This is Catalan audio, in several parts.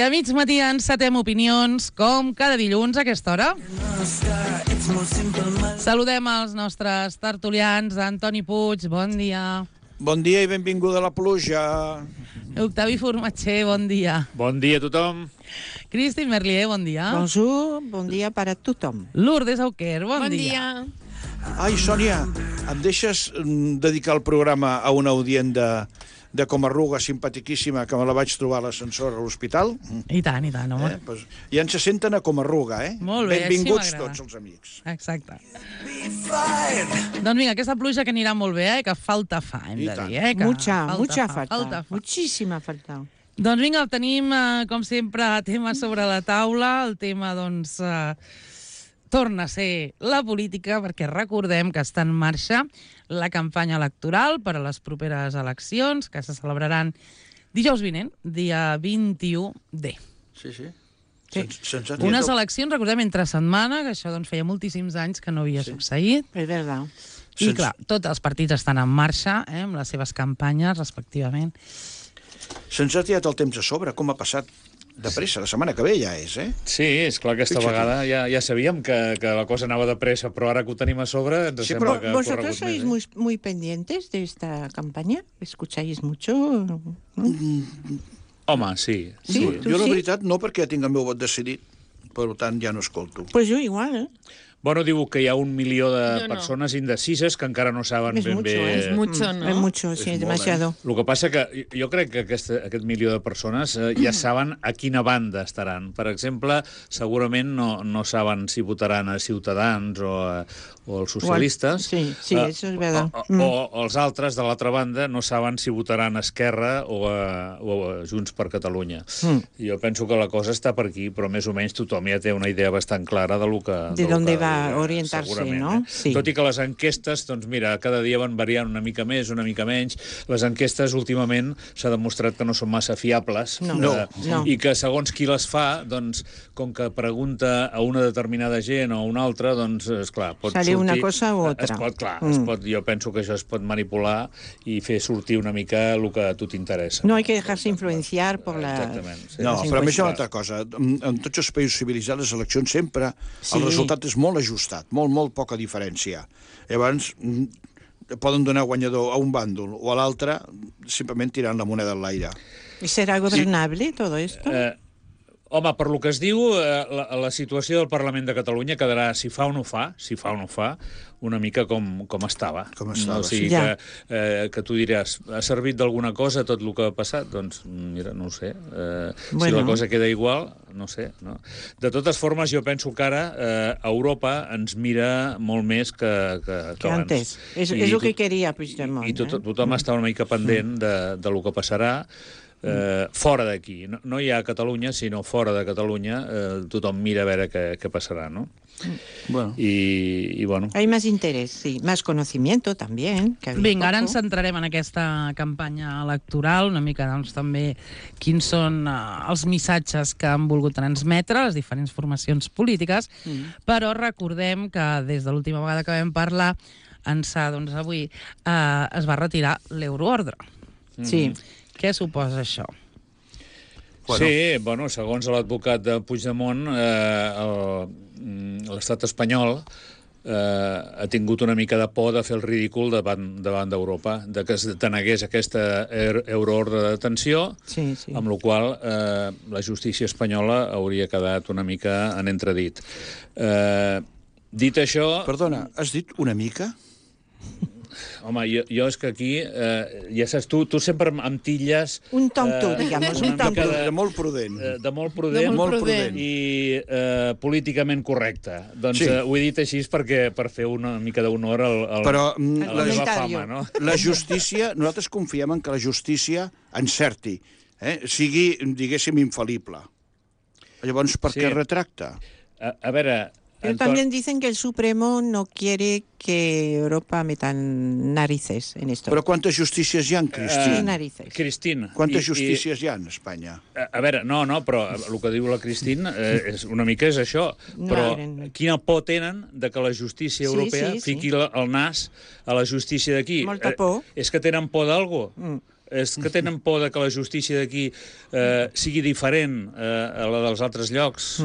a mig matí encetem opinions, com cada dilluns a aquesta hora. Saludem els nostres tertulians. Antoni Puig, bon dia. Bon dia i benvinguda a la pluja. Octavi Formatger, bon dia. Bon dia a tothom. Cristi Merlier, bon dia. Bonjour, bon dia per a tothom. Lourdes Auquer, bon dia. Ai, Sònia, em deixes dedicar el programa a una audient de Comarruga simpatiquíssima que me la vaig trobar a l'ascensor a l'hospital? I tant, home. Pues, ja ens se senten a Comarruga, eh? Molt bé, benvinguts així m'agrada. tots els amics. Exacte. Doncs vinga, aquesta pluja que anirà molt bé, que falta fa, hem de dir, Que Mucha falta. Falta. Muchísima falta. Doncs vinga, tenim, com sempre, temes sobre la taula. El tema, doncs, torna a ser la política, perquè recordem que està en marxa la campanya electoral per a les properes eleccions, que se celebraran dijous vinent, dia 21D. Sí. Unes eleccions, recordem, entre setmana, que això doncs, feia moltíssims anys que no havia succeït. És veritat. I clar, tots els partits estan en marxa, amb les seves campanyes, respectivament. Se'ns ha tirat el temps a sobre, com ha passat de pressa, la setmana que ve ja és, eh? Sí, és clar que aquesta vegada ja sabíem que la cosa anava de pressa, però ara que ho tenim a sobre ens sembla que ha corregut ¿Vosotros sois muy pendientes de esta campaña? ¿Escucháis mucho? Home, sí. Jo la veritat no, perquè ja tinc el meu vot decidit, per tant ja no escolto. Pues yo igual, ¿eh? Bueno, diu que hi ha 1 milió de persones indecises que encara no saben ben bé... Es mucho, ¿no? Es mucho, sí, es demasiado. El que passa que jo crec que aquest milió de persones ja saben a quina banda estaran. Per exemple, segurament no saben si votaran a Ciutadans o als socialistes. Sí, això és verdad. O els altres, de l'altra banda, no saben si votaran a Esquerra o a Junts per Catalunya. Jo penso que la cosa està per aquí, però més o menys tothom ja té una idea bastant clara de lo que... De d'on va orientar-se, no? Sí. Tot i que les enquestes, doncs mira, cada dia van variant una mica més, una mica menys. Les enquestes últimament s'ha demostrat que no són massa fiables. No. I que segons qui les fa, doncs, com que pregunta a una determinada gent o a una altra, doncs, esclar, pot Sale sortir... una cosa u otra. Jo penso que això es pot manipular i fer sortir una mica el que a tu t'interessa. No hay que dejarse influenciar por la... Exactament. Sí. No, però a més hi ha una altra cosa. En tots els països civilitzats, les eleccions sempre, el resultat és molt ajustat, molt poca diferència. Llavors, poden donar guanyador a un bàndol o a l'altre simplement tirant la moneda en l'aire. ¿Y será gobernable todo esto? Home, per lo que es diu, la situació del Parlament de Catalunya quedarà, si fa o no fa, una mica com estava. O sigui que tu diràs, ha servit d'alguna cosa tot el que ha passat? Doncs, mira, no ho sé. Si la cosa queda igual, no sé. No? De totes formes, jo penso que ara Europa ens mira molt més que abans. És el que queria Puigdemont. I tothom està una mica pendent de lo que passarà. Fora d'aquí, no hi ha a Catalunya, sinó fora de Catalunya, tothom mira a veure què passarà, no? Bueno. I bueno. Hay más interés, sí, más conocimiento también. Vinga, ara ens centrarem en aquesta campanya electoral, una mica doncs també quins són els missatges que han volgut transmetre les diferents formacions polítiques, però recordem que des de l'última vegada que vam parlar, ençà, doncs avui, es va retirar l'euroordre. Sí. Què suposa això? Sí, bueno, segons l'advocat de Puigdemont, l'estat espanyol ha tingut una mica de por de fer el ridícul davant d'Europa, de que es denegués aquesta euroordre de detenció, amb la qual la justícia espanyola hauria quedat una mica en entredit. Dit això... Perdona, has dit una mica? Home, jo és que aquí, ja saps, tu sempre em tilles... Un tonto, digamos, un tonto. De molt prudent. De molt prudent i políticament correcte. Doncs ho he dit així per fer una mica d'honor a la meva fama, no? La justícia, nosaltres confiem en que la justícia encerti, sigui, diguéssim, infal·lible. Llavors, per què retracta? A veure... Pero también dicen que el Supremo no quiere que Europa meta narices en esto. Però quantes justícies hi ha, Cristina? Quantes justícies hi ha en Espanya? A veure, no, però el que diu la Cristina una mica és això. Però quina por tenen de que la justícia europea fiqui el nas a la justícia d'aquí? Molta por. És que tenen por d'algú? és que tenen por de que la justícia d'aquí sigui diferent a la dels altres llocs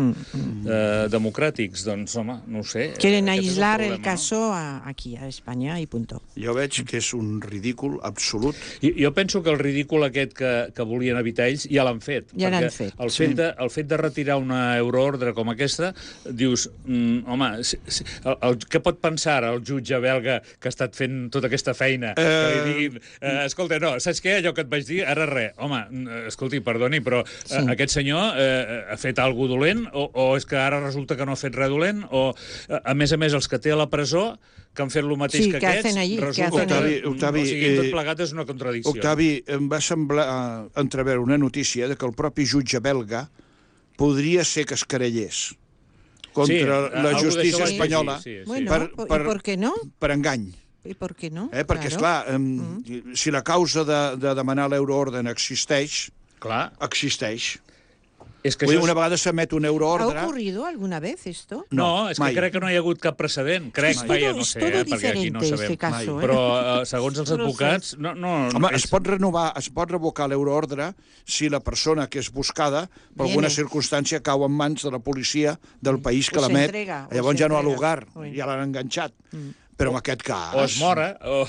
democràtics. Doncs, home, no ho sé. Quieren aislar el caso aquí, a Espanya, i punto. Jo veig que és un ridícul absolut. Jo penso que el ridícul aquest que volien evitar ells ja l'han fet. Ja l'han fet. El fet de retirar una euroordre com aquesta, dius, home, què pot pensar el jutge belga que ha estat fent tota aquesta feina? Que li diguin, escolta, no, saps què? Allò que et vaig dir, ara res. Home, escolti, perdoni, però aquest senyor ha fet alguna dolent o és que ara resulta que no ha fet res dolent? O, a més, els que té a la presó, que han fet el mateix que aquests, resulta que... Octavi, tot plegat és una contradicció. Octavi, em va semblar entreveure una notícia de que el propi jutge belga podria ser que es querellés contra la justícia espanyola per què no? Per engany. I per què no? Perquè, esclar, si la causa de demanar l'euroorden existeix, existeix. Una vegada s'emet una euroordre... ¿Ha ocurrido alguna vez esto? No, és que crec que no hi ha hagut cap precedent. Crec, no sé, perquè aquí no sabem. Però, segons els advocats... Home, es pot revocar l'euroordre si la persona que és buscada, per alguna circumstància, cau en mans de la policia del país que l'emet. Llavors ja no ha lugar, ja l'han enganxat. Però en aquest cas... O es mora, o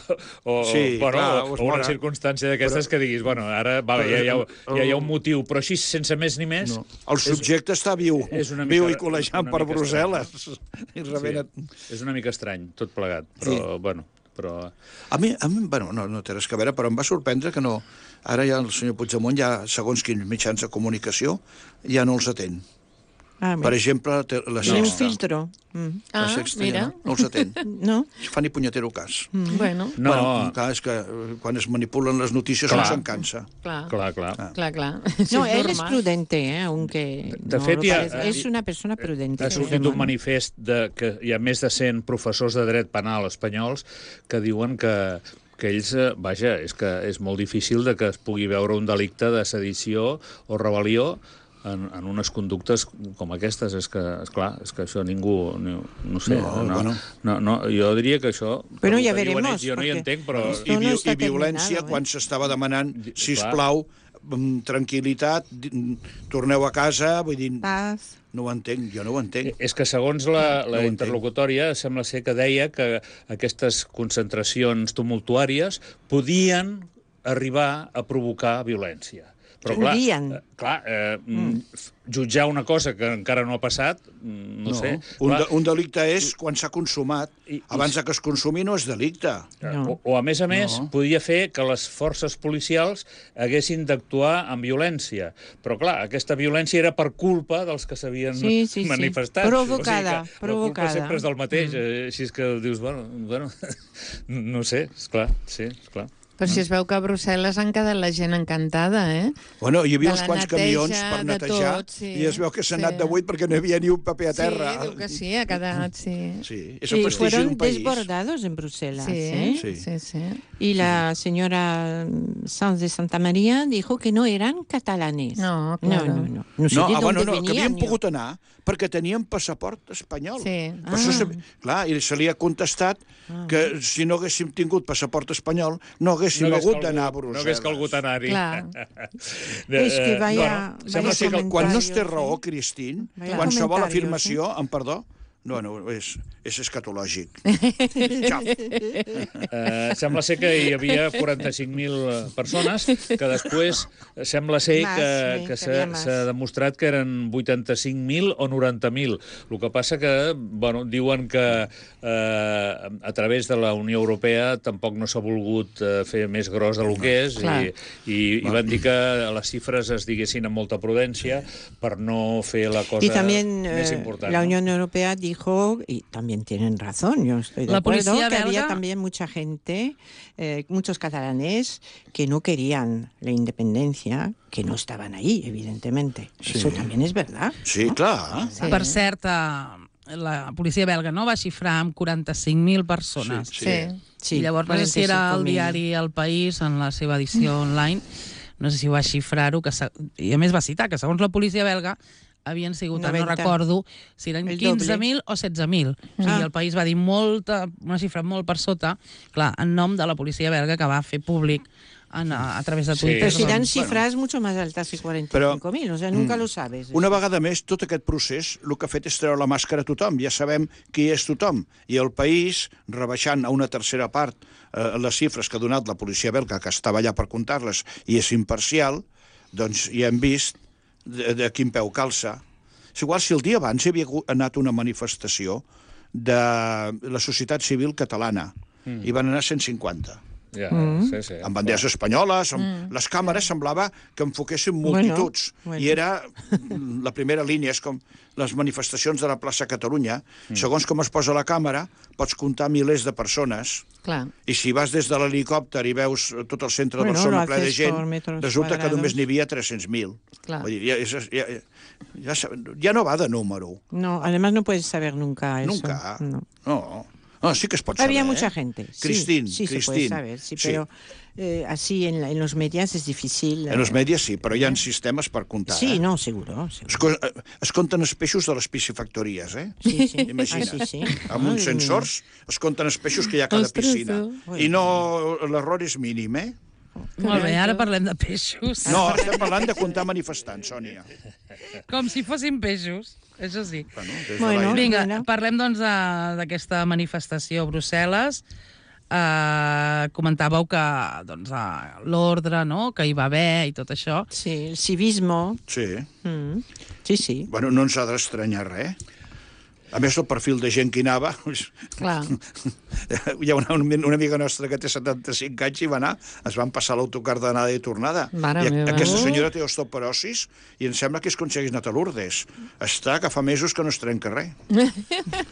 una circumstància d'aquestes que diguis, bueno, ara ja hi ha un motiu, però així, sense més ni més... El subjecte està viu i col·lejant per Brussel·les. És una mica estrany, tot plegat, però, bueno... A mi, no té res a veure, però em va sorprendre que no... Ara ja el senyor Puigdemont, ja segons quins mitjans de comunicació, ja no els atén. Per exemple, la Sexta. Un filtro. La Sexta ja no els atén. No? Fa ni punyetero cas. Bueno. Clar, és que quan es manipulen les notícies no se'n cansa. Clar. No, él es prudente, aunque de fet, és una persona prudente. Ha sortit un manifest que hi ha més de 100 professors de dret penal espanyols que diuen que ells, vaja, és que és molt difícil de que es pugui veure un delicte de sedició o rebel·lió en unes conductes com aquestes. És que, esclar, és que això ningú... No sé, jo diria que això... Però ja veremos. Jo no hi entenc, però... I violència, quan s'estava demanant, sisplau, tranquil·litat, torneu a casa, vull dir... Paz. No ho entenc, jo no ho entenc. És que segons la interlocutòria sembla ser que deia que aquestes concentracions tumultuàries podien arribar a provocar violència. Però jutjar una cosa que encara no ha passat, no sé. Un delicte és quan s'ha consumat. Abans que es consumi no és delicte. O a més, podia fer que les forces policials haguessin d'actuar amb violència. Però, clar, aquesta violència era per culpa dels que s'havien manifestat. Provocada. La culpa sempre és del mateix. Així és que dius, bueno, no sé, esclar, Però si es veu que a Brussel·les han quedat la gent encantada, Bueno, hi havia uns quants camions per netejar i es veu que s'ha anat de buit perquè no hi havia ni un paper a terra. Sí, diu que sí, ha quedat, és el prestigi d'un país. Desbordados en Bruselas. Sí. Y la señora Sanz de Santa María dijo que no eran catalanes. No, claro. No sé de dónde venían. Que havien pogut anar perquè tenien passaport espanyol. Sí. Clar, i se li ha contestat que si no haguéssim tingut passaport espanyol no haguéssim hagut d'anar a Brussel·les. No hagués calgut anar-hi. És que sembla ser que quan no es té raó, Cristín, qualsevol afirmació, amb perdó, és escatològic. Sembla ser que hi havia 45.000 persones, que després sembla ser que s'ha demostrat que eren 85.000 o 90.000. El que passa que, diuen que a través de la Unió Europea tampoc no s'ha volgut fer més gros del que és i van dir que les xifres es diguessin amb molta prudència per no fer la cosa més important. La Unión Europea dijo, y también tienen razón, yo estoy de acuerdo, que había también mucha gente, muchos catalanes, que no querían la independencia, que no estaban ahí, evidentemente. Eso también es verdad. Sí, clar. Per cert, la policia belga va xifrar amb 45.000 persones. I llavors, no sé si era el diari El País, en la seva edició online, no sé si va xifrar-ho, i a més va citar que segons la policia belga havien sigut, no recordo, si eren 15.000 o 16.000. O sigui, el País va dir una xifra molt per sota, clar, en nom de la policia belga, que va fer públic a través de Twitter. Pero serán cifras mucho más altas que 45.000, o sea, nunca lo sabes. Una vegada més, tot aquest procés el que ha fet és treure la màscara a tothom. Ja sabem qui és tothom. I el país, rebaixant a una tercera part les xifres que ha donat la policia belga, que estava allà per comptar-les, i és imparcial, doncs ja hem vist de quin peu calça. És igual si el dia abans hi havia anat una manifestació de la societat civil catalana i van anar 150. Ja, sí. Amb banderes espanyoles, amb les càmeres semblava que enfoquessin multituds. I era la primera línia, és com les manifestacions de la plaça Catalunya. Segons com es posa la càmera, pots comptar milers de persones. Clar. I si vas des de l'helicòpter i veus tot el centre de Barcelona ple de gent, resulta que només n'hi havia 300.000. Vull dir, ja no va de número. No, además no puedes saber nunca eso. Nunca. No, sí que es pot saber. Había mucha gente. Cristín. Sí, se puede saber, sí, pero así en los medios es difícil. En els medios sí, però hi ha sistemes per comptar. Sí, no, seguro. Es compten els peixos de les piscifactories, eh? Sí. Imagina't. Sí. Amb uns sensors es compten els peixos que hi ha a cada piscina. I no, l'error és mínim, eh? Molt bé, ara parlem de peixos. No, estem parlant de comptar manifestants, Sònia. Com si fossin peixos. Això sí. Bueno, vinga, parlem doncs d'aquesta manifestació a Brussel·les. Comentàveu que doncs, l'ordre, no?, que hi va haver i tot això. Sí, el civisme. Sí. Sí. Bueno, no ens ha d'estranyar res. A més, el perfil de gent que hi anava... Clar. Hi ha una amiga nostra que té 75 anys i va anar, es van passar l'autocar d'anada i tornada. Mare meva. Aquesta senyora té osteoporosis i em sembla que és com si hagués anat a Lourdes. Està que fa mesos que no es trenca res.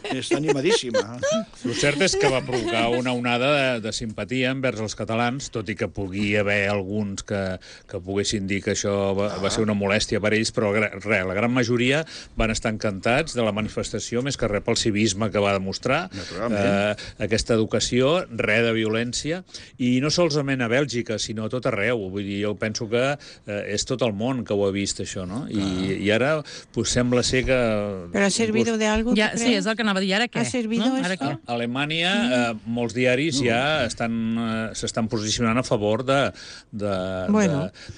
Està animadíssima. El cert és que va provocar una onada de simpatia envers els catalans, tot i que pugui haver alguns que poguessin dir que això va ser una molèstia per ells, però res, la gran majoria van estar encantats de la manifestació, més que res pel civisme que va demostrar, aquesta educació, res de violència, i no solament a Bèlgica, sinó a tot arreu. Vull dir, jo penso que és tot el món que ho ha vist, això, no? I ara pues, sembla ser que... Però ha servido de algo, ja, sí, és el que anava a dir. Ara què? Ha servido no? esto? A Alemanya, molts diaris ja s'estan posicionant a favor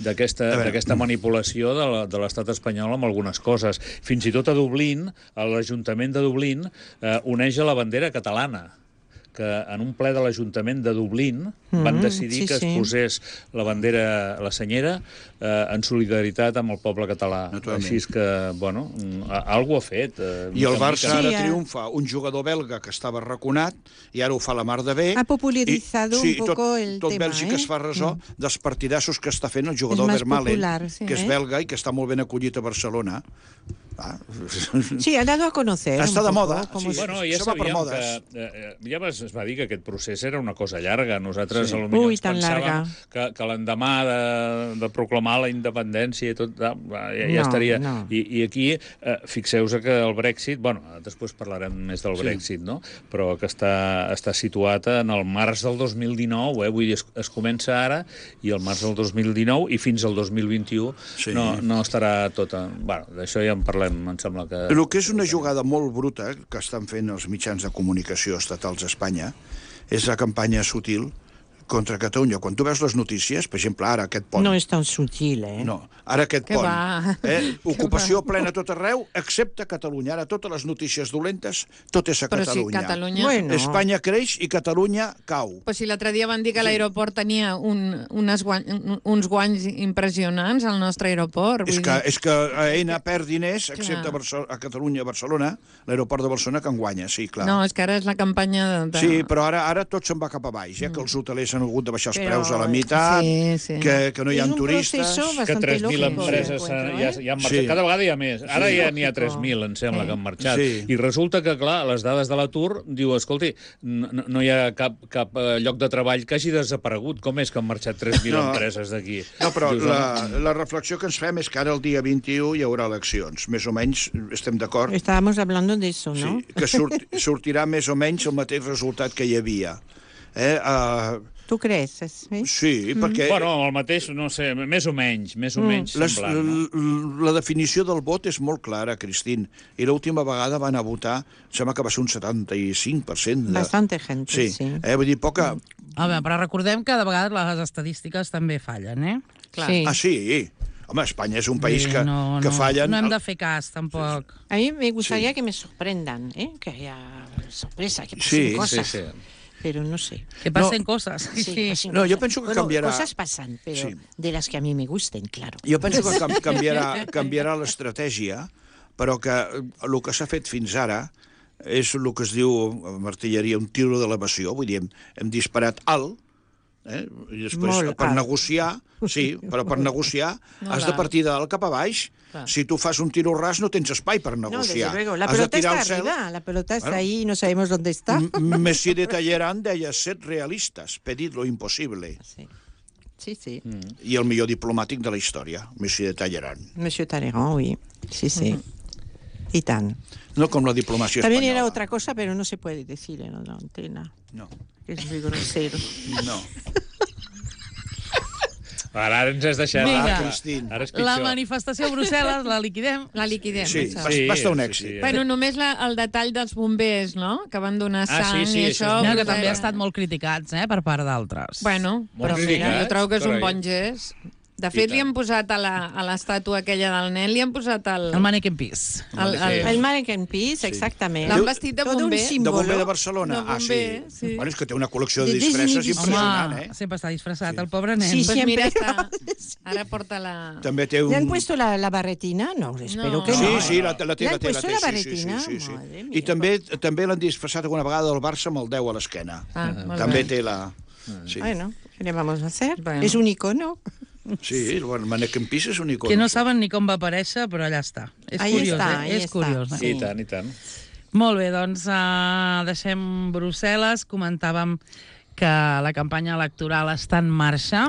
d'aquesta manipulació de l'estat espanyol amb algunes coses. Fins i tot a Dublín, a l'Ajuntament de Dublín uneix a la bandera catalana, que en un ple de l'Ajuntament de Dublín van decidir que es posés la bandera, la senyera, en solidaritat amb el poble català. Així que, bueno, algú ha fet. I el Barça ara triomfa un jugador belga que estava arraconat i ara ho fa la mar de bé. Ha popularizado un poco el tema. Tot Bèlgica es fa ressò dels partidassos que està fent el jugador Vermaelen, que és belga i que està molt ben acollit a Barcelona. Sí, ha dado a conocer. Està de moda. Bueno, ja sabíem que... Ja es va dir que aquest procés era una cosa llarga. Nosaltres potser ens pensàvem que l'endemà de proclamar la independència i tot, ja estaria. I aquí, fixeu-vos que el Brexit, bueno, després parlarem més del Brexit, no? Però que està situat en el març del 2019, vull dir, es comença ara, i el març del 2019, i fins al 2021 no estarà tot... Bueno, d'això ja en parlem, em sembla que... El que és una jugada molt bruta que estan fent els mitjans de comunicació estatals a Espanya és la campanya sutil contra Catalunya. Quan tu veus les notícies, per exemple, ara aquest pont... No és tan sutil, eh? No, ara aquest pont. Ocupació plena tot arreu, excepte Catalunya. Ara totes les notícies dolentes, tot és a Catalunya. Però si Catalunya... Bueno. Espanya creix i Catalunya cau. Però si l'altre dia van dir que l'aeroport tenia uns guanys impressionants, al nostre aeroport. És que AENA perd diners, excepte a Catalunya, a Barcelona, l'aeroport de Barcelona que en guanya, sí, clar. No, és que ara és la campanya de... Sí, però ara tot se'n va cap a baix, que els hotelers han hagut de baixar els preus a la meitat, que no hi ha turistes... Que 3.000 empreses ja han marxat. Cada vegada hi ha més. Ara ja n'hi ha 3.000, em sembla, que han marxat. I resulta que, clar, les dades de l'atur, diu, escolti, no hi ha cap lloc de treball que hagi desaparegut. Com és que han marxat 3.000 empreses d'aquí? No, però la reflexió que ens fem és que ara el dia 21 hi haurà eleccions. Més o menys estem d'acord. Estábamos hablando de eso, ¿no? Sí, que sortirà més o menys el mateix resultat que hi havia. Tu creus? Sí, perquè... Bueno, el mateix, no sé, més o menys semblant. La definició del vot és molt clara, Cristín, i l'última vegada van a votar, sembla que va ser un 75%. Bastante gente, sí. Vull dir, poca... Home, però recordem que de vegades les estadístiques també fallen, eh? Sí. Ah, sí? Home, Espanya és un país que fallen... No hem de fer cas, tampoc. A mí me gustaría que me sorprendan, que haya sorpresa, que pasen cosas. Sí. Pero no sé. Que pasen cosas. Sí. No, yo pienso que cambiará... Cosas pasan, pero de las que a mí me gusten, claro. Jo penso que canviarà l'estratègia, però que el que s'ha fet fins ara és el que es diu, amb artilleria, un tiro d'elevació, vull dir, hem disparat alt, i després per negociar, però per negociar has de partir de dalt cap a baix. Si tu fas un tiro ras no tens espai per negociar. No, desde luego. La pelota está arriba, la pelota está ahí y no sabemos dónde está. Messi de Talleyrand deia, sed realistes, pedid lo impossible. Sí. I el millor diplomàtic de la història, Messi de Talleyrand. Monsieur Talleyrand, oui. Sí. Y tan. No com la diplomàcia También espanyola. era otra cosa, pero no se puede decir en la antena. No. Es muy grosero. No. Ara ens has deixat... Vinga, ara és pitjor. la manifestació a Brussel·les la liquidem? La liquidem. Sí, va estar un èxit. Bueno, només el detall dels bombers, no?, que van donar sang i això... Que també ha estat molt criticats, per part d'altres. Bueno, però mira, jo trobo que és un bon gest. De fet, li han posat a l'estàtua aquella del nen, li han posat el Mannequin Peace. El Mannequin Peace, exactament. L'han vestit de bomber. De bomber de Barcelona. Sí. Bueno, és que té una col·lecció de disfresses impressionant, Home, sempre està disfressat, el pobre nen. Sí, Pues mira, ara porta la... També té un... ¿Le han puesto la barretina? No, espero que no. Sí, la té. ¿Le han puesto la barretina? Sí. Madre mía. I també l'han disfressat alguna vegada del Barça amb el 10 a l'esquena. També té la... Bueno, ¿qué le vamos a hacer? Bueno. Es un icono. Sí, el Mannequin Peace és un icon. Que no saben ni com va aparèixer, però allà està. És curiós, és curiós. I tant. Molt bé, doncs deixem Brussel·les. Comentàvem que la campanya electoral està en marxa.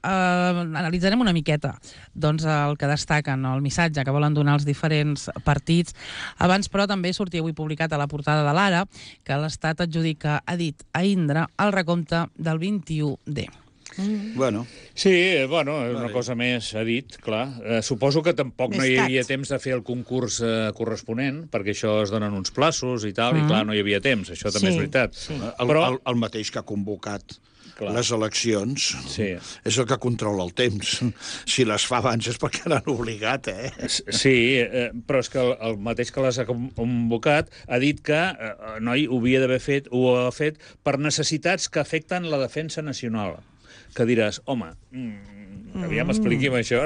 Analitzarem una miqueta doncs, el que destaquen, el missatge que volen donar els diferents partits. Abans, però, també sortia avui publicat a la portada de l'Ara que l'Estat adjudica, ha dit a Indra, el recompte del 21D. Bueno. Sí, és una cosa més, ha dit, clar. Suposo que tampoc no hi havia temps de fer el concurs corresponent, perquè això es donen uns plaços i tal, i clar, no hi havia temps, això també és veritat. Però el mateix que ha convocat les eleccions és el que controla el temps. Si les fa abans és perquè l'han obligat, Sí, però és que el mateix que les ha convocat ha dit que noi ho ha fet per necessitats que afecten la defensa nacional. Que diràs, home, aviam expliqui'm això,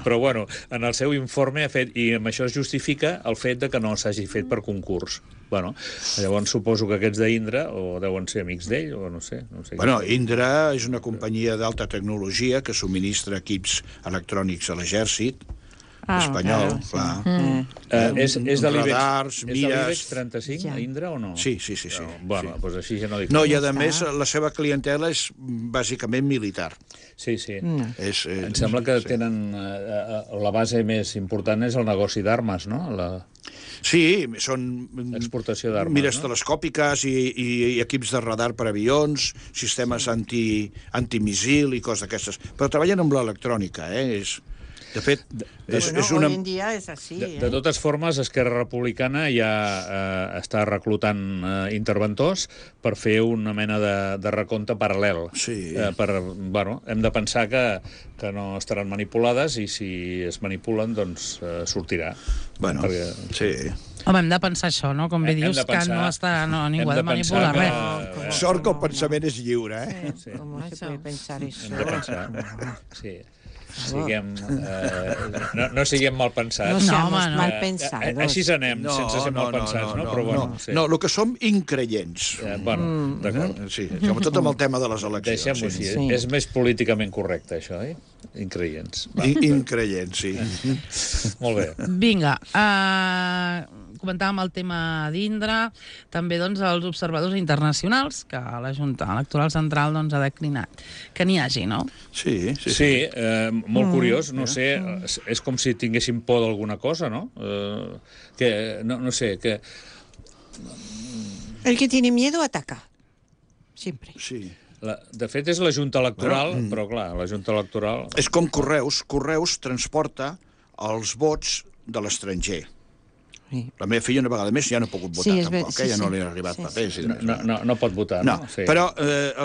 però bueno, en el seu informe ha fet, i amb això es justifica el fet de que no s'hagi fet per concurs. Bueno, llavors suposo que aquests d'Indra o deuen ser amics d'ell, o no sé. Bueno, Indra és una companyia d'alta tecnologia que subministra equips electrònics a l'exèrcit espanyol, clar. És de radars, l'IBEX 35, Indra, o no? Sí. Bueno, doncs així ja no dic. No, i a més, la seva clientela és bàsicament militar. Sí. Em sembla que tenen... La base més important és el negoci d'armes, no? Sí, són... Exportació d'armes, mires telescòpiques i equips de radar per avions, sistemes antimíssil i coses d'aquestes. Però treballen amb l'electrònica, De fet, és una... Hoy en día es así. De totes formes, Esquerra Republicana ja està reclutant interventors per fer una mena de recompte paral·lel. Sí. Hem de pensar que no estaran manipulades i si es manipulen, doncs sortirà. Bueno, sí. Home, hem de pensar això, no? Com bé dius, que ningú ha de manipular res. Sort que el pensament és lliure, Com se puede pensar eso? Hem de pensar, sí. No siguem mal pensats. No, mal pensados. Així anem, sense ser mal pensats, no? Però bueno, no, el que som increients. Bueno, d'acord. Sí, tot amb el tema de les eleccions. Deixem-ho així. És més políticament correcte, això, Increients. Increients, sí. Molt bé. Vinga, comentàvem el tema d'Indra, també doncs, els observadors internacionals, que la Junta Electoral Central ha declinat. Que n'hi hagi, no? Sí. Molt curiós, no sé, és com si tinguéssim por d'alguna cosa, no? No sé, que... El que tiene miedo ataca. Siempre. Sí. De fet, és la Junta Electoral, però clar, la Junta Electoral... És com Correus. Correus transporta els vots de l'estranger. La meva filla una vegada més ja no ha pogut votar, tampoc, ja no li ha arribat papers. No pot votar, no? Però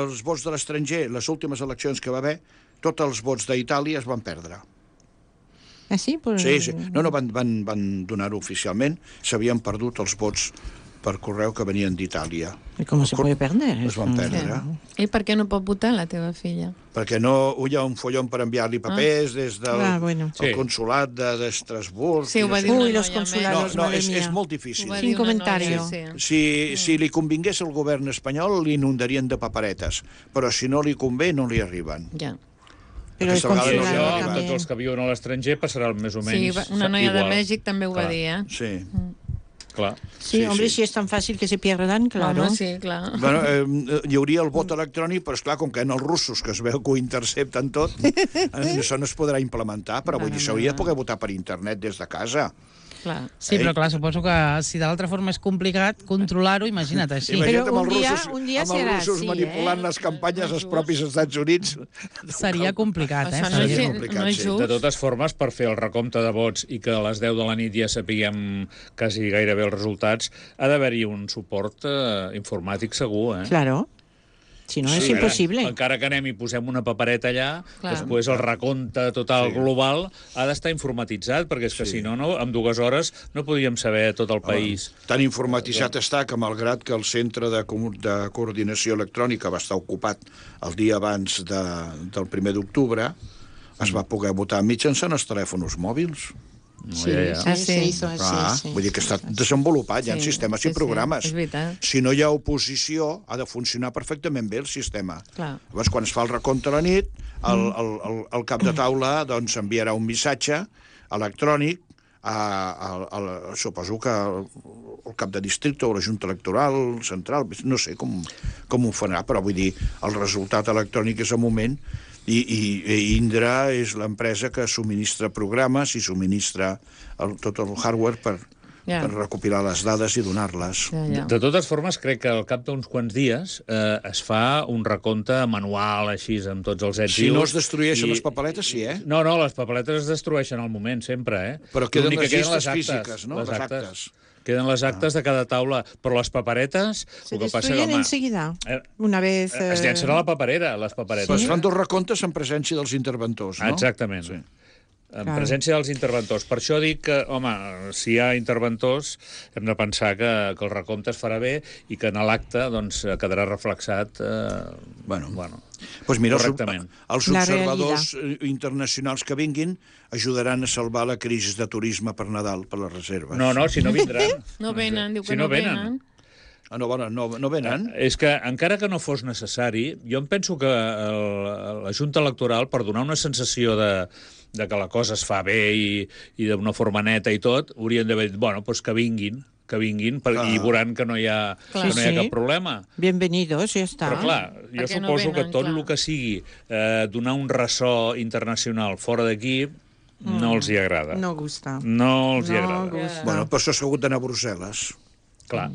els vots de l'estranger, les últimes eleccions que va haver, tots els vots d'Itàlia es van perdre. Ah, sí? Sí. No, van donar-ho oficialment. S'havien perdut els vots per correu que venien d'Itàlia. I com se pot perdre? Es van perdre. I per què no pot votar la teva filla? Perquè no hi ha un follon per enviar-li papers des del consulat d'Estrasburg. Sí, ho va dir una noia. Los consulados, madre mía. És molt difícil. Sin comentario. Si li convingués al govern espanyol, li inundarien de paperetes. Però si no li convé, no li arriben. Ja. Però el consulado amb tots els que viuen a l'estranger passarà més o menys igual. Sí, una noia de Mèxic també ho va dir, Sí. Clar. Sí, hombre, si és tan fàcil que se pierdan, claro. Home, sí, clar. Bueno, hi hauria el vot electrònic, però esclar, com que en els russos, que es veu que ho intercepten tot, això no es podrà implementar, però vull dir, s'hauria de poder votar per internet des de casa. Clar. Sí, però clar, suposo que si de l'altra forma és complicat controlar-ho, imagina't així. Imagina't Però un dia amb els russos manipulant les campanyes als propis Estats Units. Seria complicat, Això no és just. De totes formes, per fer el recompte de vots i que a les 10 de la nit ja sapiguem quasi gairebé els resultats, ha d'haver-hi un suport informàtic segur, Claro. Si no, és impossible. Encara que anem i posem una papereta allà, després el recompte total global ha d'estar informatitzat, perquè és que si no, en 2 hores no podíem saber tot el país. Tan informatitzat està que, malgrat que el Centre de Coordinació Electrònica va estar ocupat el dia abans del 1 d'octubre, es va poder votar mitjançant els telèfons mòbils. Se hizo así. Vull dir que està desenvolupat, hi ha sistemes i programes. És veritat. Si no hi ha oposició, ha de funcionar perfectament bé el sistema. Llavors, quan es fa el recompte a la nit, el cap de taula enviarà un missatge electrònic suposo que el cap de districte o la Junta Electoral Central, no sé com ho farà, però vull dir, el resultat electrònic és al moment. I Indra és l'empresa que subministra programes i subministra tot el hardware per recopilar les dades i donar-les. De totes formes, crec que al cap d'uns quants dies es fa un recompte manual, així, amb tots els ets. Si no es destrueixen les papeletes, sí, No, les papeletes es destrueixen al moment, sempre, Però queden les llistes físiques, no? Les actes. Queden les actes de cada taula, però les paperetes... Se destruyen enseguida, una vez... Es llencen a la paperera, les paperetes. Es fan 2 recomptes en presència dels interventors, no? Exactament. Sí. En presència dels interventors. Per això dic que, home, si hi ha interventors, hem de pensar que el recompte es farà bé i que en l'acte quedarà reflexat correctament. Els observadors internacionals que vinguin ajudaran a salvar la crisi de turisme per Nadal, per les reserves. No, si no vindran. No venen, diu que no venen. No venen? És que, encara que no fos necessari, jo em penso que la Junta Electoral, per donar una sensació de que la cosa es fa bé i d'una forma neta i tot, haurien d'haver dit, doncs que vinguin, i veuran que no hi ha cap problema. Bienvenidos, ja està. Però clar, jo suposo que tot el que sigui donar un ressò internacional fora d'aquí no els hi agrada. No gusta. No els hi agrada. Bueno, per això s'ha hagut d'anar a Brussel·les. Clar,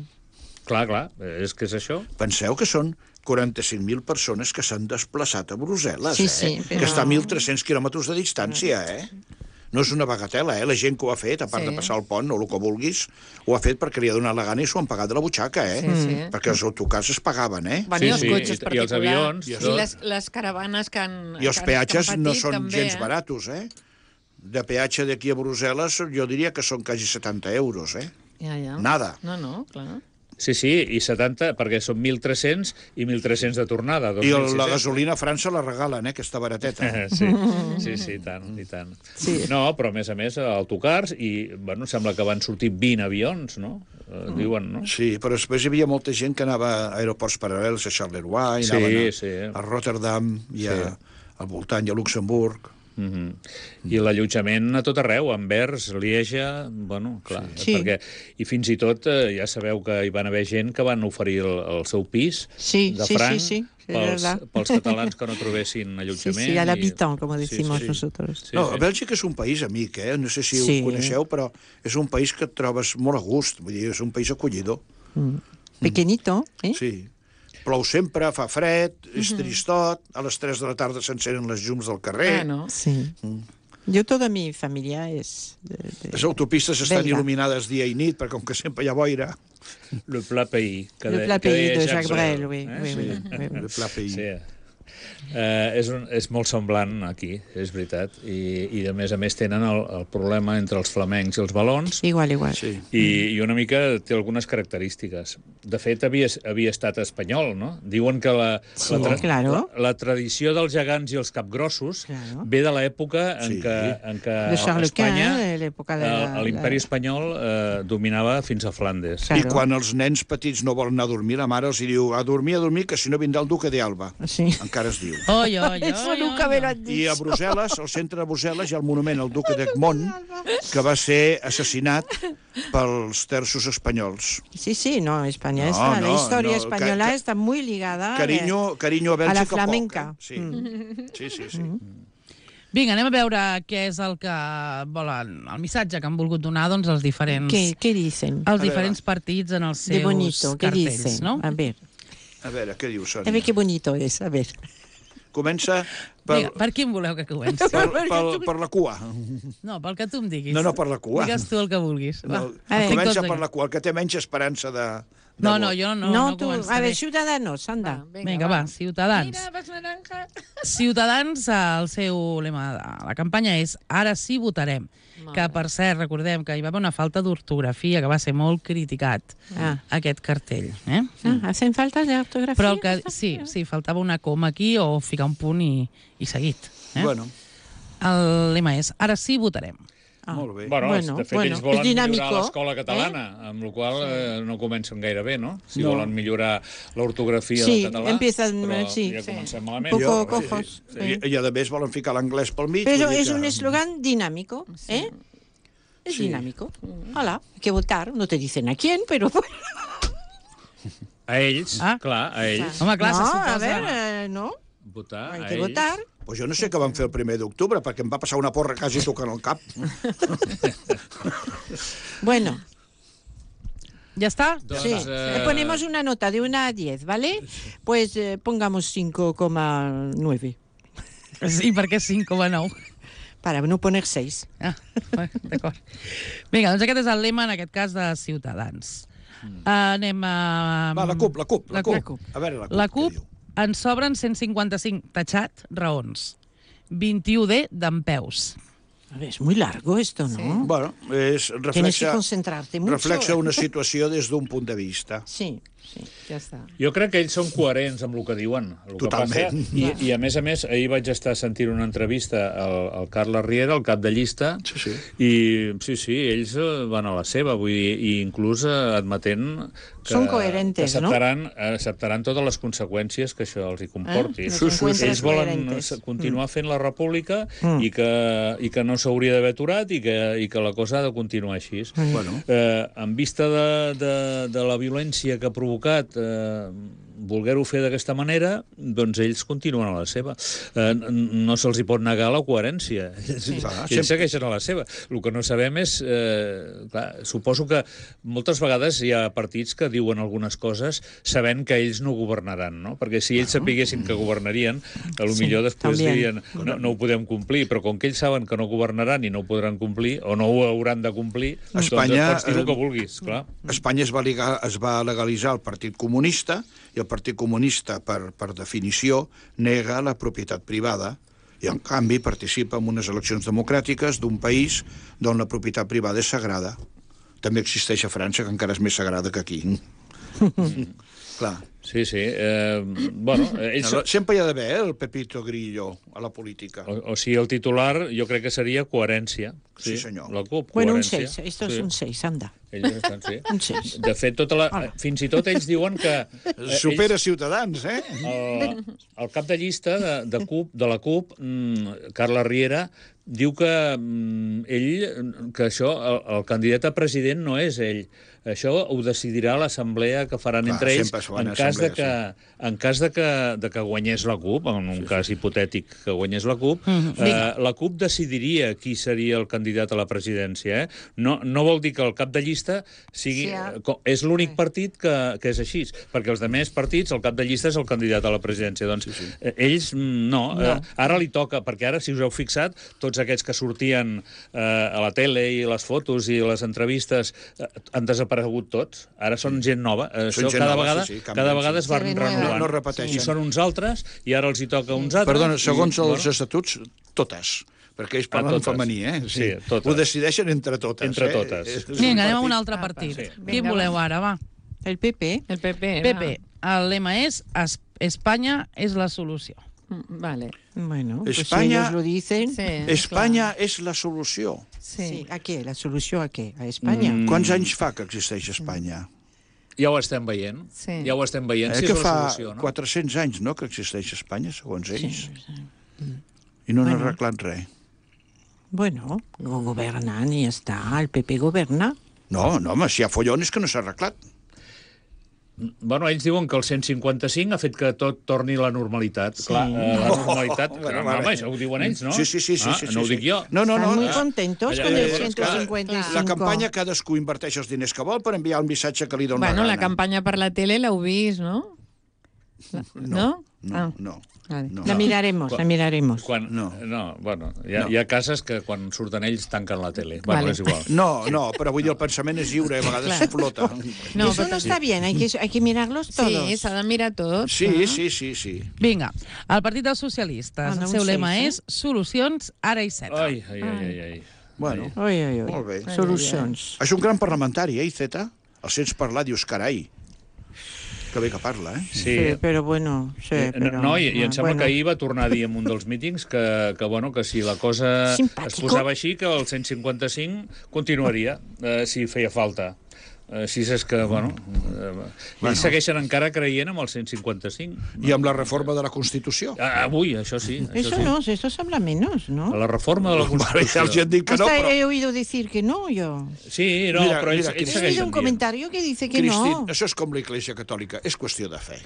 és que és això. Penseu que són 45.000 persones que s'han desplaçat a Brussel·les, però... que està a 1.300 quilòmetres de distància, No és una bagatela, La gent que ho ha fet, a part de passar el pont o el que vulguis, ho ha fet perquè li ha donat la gana i s'ho han pagat de la butxaca, Perquè els autocars es pagaven, I els cotxes particulars. I els avions. I les caravanes que han I els peatges no són també, gens baratos, De peatge d'aquí a Brussel·les jo diria que són quasi 70 euros, Nada. No, clar. Sí, i 70, perquè són 1.300 i 1.300 de tornada. I la gasolina a França la regalen, aquesta barateta. Sí, i tant. Sí. No, però a més, autocars, i sembla que van sortir 20 avions, no? Diuen, no? Sí, però després hi havia molta gent que anava a aeroports paral·lels, a Charleroi, anaven a Rotterdam, i al voltant, i a Luxemburg. I l'allotjament a tot arreu, Anvers, Lieja, clar, perquè, i fins i tot ja sabeu que hi van haver gent que van oferir el seu pis de franc pels catalans que no trobessin allotjament. Sí, a l'habitant, com decimos nosotros. No, Bèlgica és un país amic, no sé si ho coneixeu, però és un país que et trobes molt a gust, vull dir, és un país acollidor. Pequeñito, Sí. Plou sempre, fa fred, és tristot, a les 3 de la tarda s'encenen les llums del carrer. Sí. Yo, toda mi familia es... Les autopistes estan il·luminades dia i nit, perquè com que sempre hi ha boira... Le plat pays. Le plat pays de Jacques Brel, oui. Le plat pays. Sí. És molt semblant aquí, és veritat, i a més tenen el problema entre els flamencs i els valons. Igual. Sí. I una mica té algunes característiques. De fet, havia estat espanyol, no? Diuen que la tradició dels gegants i els capgrossos ve de l'època en què Espanya, l'imperi espanyol, dominava fins a Flandes. I quan els nens petits no volen anar a dormir, la mare els diu a dormir, que si no vindrà el duque d'Alba. Encara es diu. Eso nunca me lo han dicho. I a Brussel·les, al centre de Brussel·les, hi ha el monument al duque d'Egmont, que va ser assassinat pels terços espanyols. Sí, no, España está, la historia española está muy ligada Carinyo a Bèlgica, a la flamenca. Sí. Vinga, anem a veure què és el que volen, el missatge que han volgut donar doncs, els diferents... Què dicen? Els diferents partits en els seus cartells, no? A veure, què diu, Sònia? A ver qué bonito es, a ver. Comença per quin voleu que comenci? Per la cua. No, pel que tu em diguis. No, per la cua. Digues tu el que vulguis. Comença per la cua, el que té menys esperança de... No, jo no començaré. A ver, Ciudadanos, anda. Vinga, va, Ciutadans. Mira, vas naranja. Ciutadans, el seu lema de la campanya és Ara sí votarem. Que, per cert, recordem que hi va haver una falta d'ortografia que va ser molt criticat, aquest cartell. ¿Hacen falta de ortografía? Però sí, faltava una coma aquí o ficar un punt i seguit. Bueno. El lema és Ara sí votarem. Molt bé. De fet, ells volen millorar l'escola catalana, amb la qual no comencen gaire bé, no? Si volen millorar l'ortografia del català, però ja comencem malament. Poco cojos. I a més volen ficar l'anglès pel mig. Pero es un eslogan dinámico, ¿eh? Es dinámico. Hola, hay que votar. No te dicen a quién, pero... A ells, clar, a ells. Home, clar, no, a ver, no. Votar, hay que votar. Pues jo no sé què van fer el 1 d'octubre, perquè em va passar una porra quasi tocant el cap. Bueno. ¿Ya está? Sí. Le ponemos una nota de 1 a 10, ¿vale? Pues pongamos 5,9. Sí, per què 5,9? Para no poner 6. D'acord. Vinga, doncs aquest és el lema, en aquest cas, de Ciutadans. Anem a... Va, la CUP. A veure, la CUP ens sobren 155, tachat, raons. 21D dempeus. A ver, es muy largo esto, ¿no? Sí. Bueno, tienes que concentrarte mucho. Reflexa una situació des d'un punt de vista. Sí, ja està. Jo crec que ells són coherents amb el que diuen. Totalment. I a més, ahir vaig estar sentint una entrevista al Carles Riera, el cap de llista, i sí, ells van a la seva, vull dir, i inclús admetent que acceptaran totes les conseqüències que això els hi comporti. Ells volen continuar fent la república i que no s'hauria d'haver aturat i que la cosa ha de continuar així. En vista de la violència que ha provocat voler-ho fer d'aquesta manera, doncs ells continuen a la seva. No se'ls hi pot negar la coherència. Ells segueixen a la seva. El que no sabem és... suposo que moltes vegades hi ha partits que diuen algunes coses sabent que ells no governaran, no? Perquè si ells sapiguessin que governarien, potser després dirien no ho podem complir, però com que ells saben que no governaran i no ho podran complir, o no ho hauran de complir, doncs pots dir el que vulguis, clar. Espanya es va legalitzar el Partit Comunista, i el Partit Comunista, per definició, nega la propietat privada i, en canvi, participa en unes eleccions democràtiques d'un país on la propietat privada és sagrada. També existeix a França, que encara és més sagrada que aquí. Clar. Sí. Sempre hi ha d'haver el Pepito Grillo a la política. O sigui, el titular jo crec que seria coherència. Sí, senyor. La CUP, bueno, coherència. Un 6, esto es un 6, anda. Ells estan, sí. Un 6. De fet, fins i tot ells diuen que... Supera Ciutadans, eh? El cap de llista de la CUP, Carles Riera, diu que ell, que això, el candidat a president no és ell. això ho decidirà l'assemblea que faran entre ells en cas de que guanyés la CUP, en un cas hipotètic que guanyés la CUP, la CUP decidiria qui seria el candidat a la presidència. No vol dir que el cap de llista sigui... És l'únic partit que és així, perquè els altres partits, el cap de llista és el candidat a la presidència. Doncs ells no. Ara li toca, perquè ara, si us heu fixat, tots aquests que sortien a la tele i les fotos i les entrevistes han desaparegut tots. Ara són gent nova. Això cada vegada es van renovant. No repeteixen. I són uns altres, i ara els hi toca uns altres. Perdona, segons els estatuts, totes. Perquè ells parlen femení, Sí, totes. Ho decideixen entre totes. Entre totes. Vinga, anem a un altre partit. Quin voleu ara, va? El PP. El PP. El lema és Espanya és la solució. Vale. Bueno, pues España, ellos lo dicen. Sí, Espanya és la solució. Sí. ¿A qué? ¿La solució a què? A Espanya? Quants anys fa que existeix Espanya? Ja ho estem veient. Sí. Ja ho estem veient. Que fa 400 anys, no?, que existeix Espanya, segons ells. I no han arreglat res. Bueno, governant i ja està. El PP governa. No, home, si hi ha follon és que no s'ha arreglat. Bueno, ells diuen que el 155 ha fet que tot torni a la normalitat. Clar, la normalitat... Home, això ho diuen ells, no? Sí. No ho dic jo. No. Estan muy contentos con el 155. La campanya, cadascú inverteix els diners que vol per enviar el missatge que li dona Bueno, la la campanya per la tele l'heu vist, no? No. La miraremos. Bueno, hi ha cases que quan surten ells tanquen la tele. Bueno, és igual. No, però vull dir, el pensament és lliure, a vegades flota. No, eso no está bien, hay que mirarlos todos. Sí, s'ha de mirar tots. Sí. Vinga, el Partit dels Socialistes. El seu lema és solucions ara i Iceta. Ai. Bueno, molt bé. Solucions. És un gran parlamentari, Iceta? El sents parlar, dius, carai. Que bé que parla, Sí, però bueno... No, i em sembla que ahir va tornar a dir en un dels mítings que si la cosa es posava així, que el 155 continuaria, si feia falta. Així és que, ells segueixen encara creient amb el 155. I amb la reforma de la Constitució? Avui, això sí. Eso se habla menos, ¿no? La reforma de la Constitució. Els han dit que no, però... he oído decir que no, yo. Sí, no, però ells segueixen dient. He oído un comentario que dice que no. Això és com l'Església Catòlica, és qüestió de fe.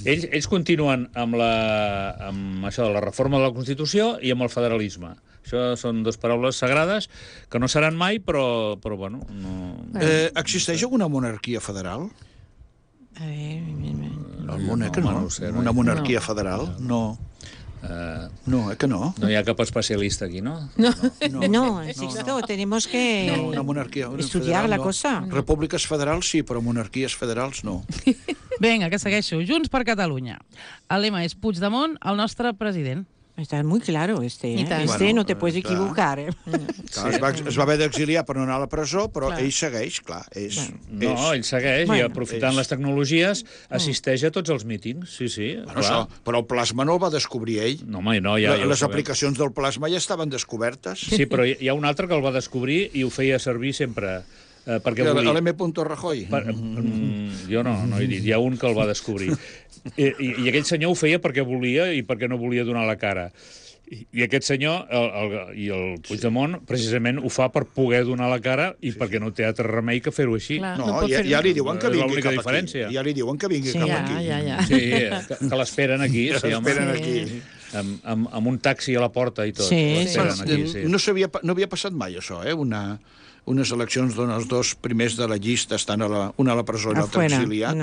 Ells continuen amb això de la reforma de la Constitució i amb el federalisme. Això són dues paraules sagrades que no seran mai, però bueno... Existeix alguna monarquia federal? El món, que no. Una monarquia federal? No. Que no. No hi ha cap especialista aquí, no? No, insisto, tenemos que estudiar la cosa. Repúbliques federals sí, però monarquies federals no. Vinga, que segueixo. Junts per Catalunya. El lema és Puigdemont, el nostre president. Está muy claro no te puedes equivocar. Es va haver d'exiliar per no anar a la presó, però ell segueix, clar. Ell segueix i aprofitant les tecnologies assisteix a tots els mítings, sí. Però el plasma no el va descobrir ell. No, home, no, ja les aplicacions del plasma ja estaven descobertes. Sí, però hi ha un altre que el va descobrir i ho feia servir sempre... L'M. Rajoy. Jo no he dit, hi ha un que el va descobrir. I aquell senyor ho feia perquè volia i perquè no volia donar la cara. I aquest senyor, el Puigdemont, precisament ho fa per poder donar la cara i perquè no té altre remei que fer-ho així. Ja li diuen que vingui cap aquí. Ja li diuen que vingui cap aquí. Sí, que l'esperen aquí. L'esperen aquí. Amb un taxi a la porta i tot. No havia passat mai, això, unes eleccions d'on els dos primers de la llista estan una a la presó i l'altre exiliat.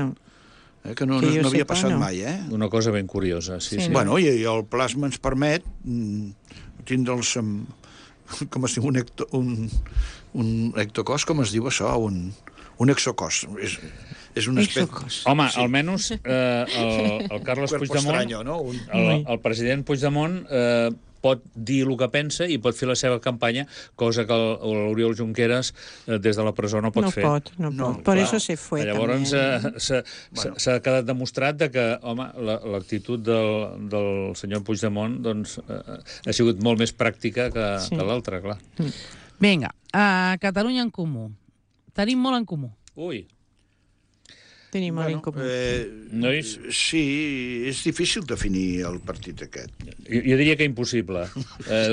Que no havia passat mai, Una cosa ben curiosa, sí. Bueno, i el plasma ens permet tindre'ls, com es diu, un ectocos, com es diu això? Un exocos. És una espècie... Home, almenys el Carles Puigdemont, el president Puigdemont, pot dir el que pensa i pot fer la seva campanya, cosa que l'Oriol Junqueras des de la presó no pot fer. No pot. Per això se fue. Llavors s'ha quedat demostrat que, home, l'actitud del senyor Puigdemont ha sigut molt més pràctica que l'altra, clar. Vinga, Catalunya en Comú. Tenim molt en comú. Ui. Tenim molt en comú. Sí, és difícil definir el partit aquest. Jo diria que impossible.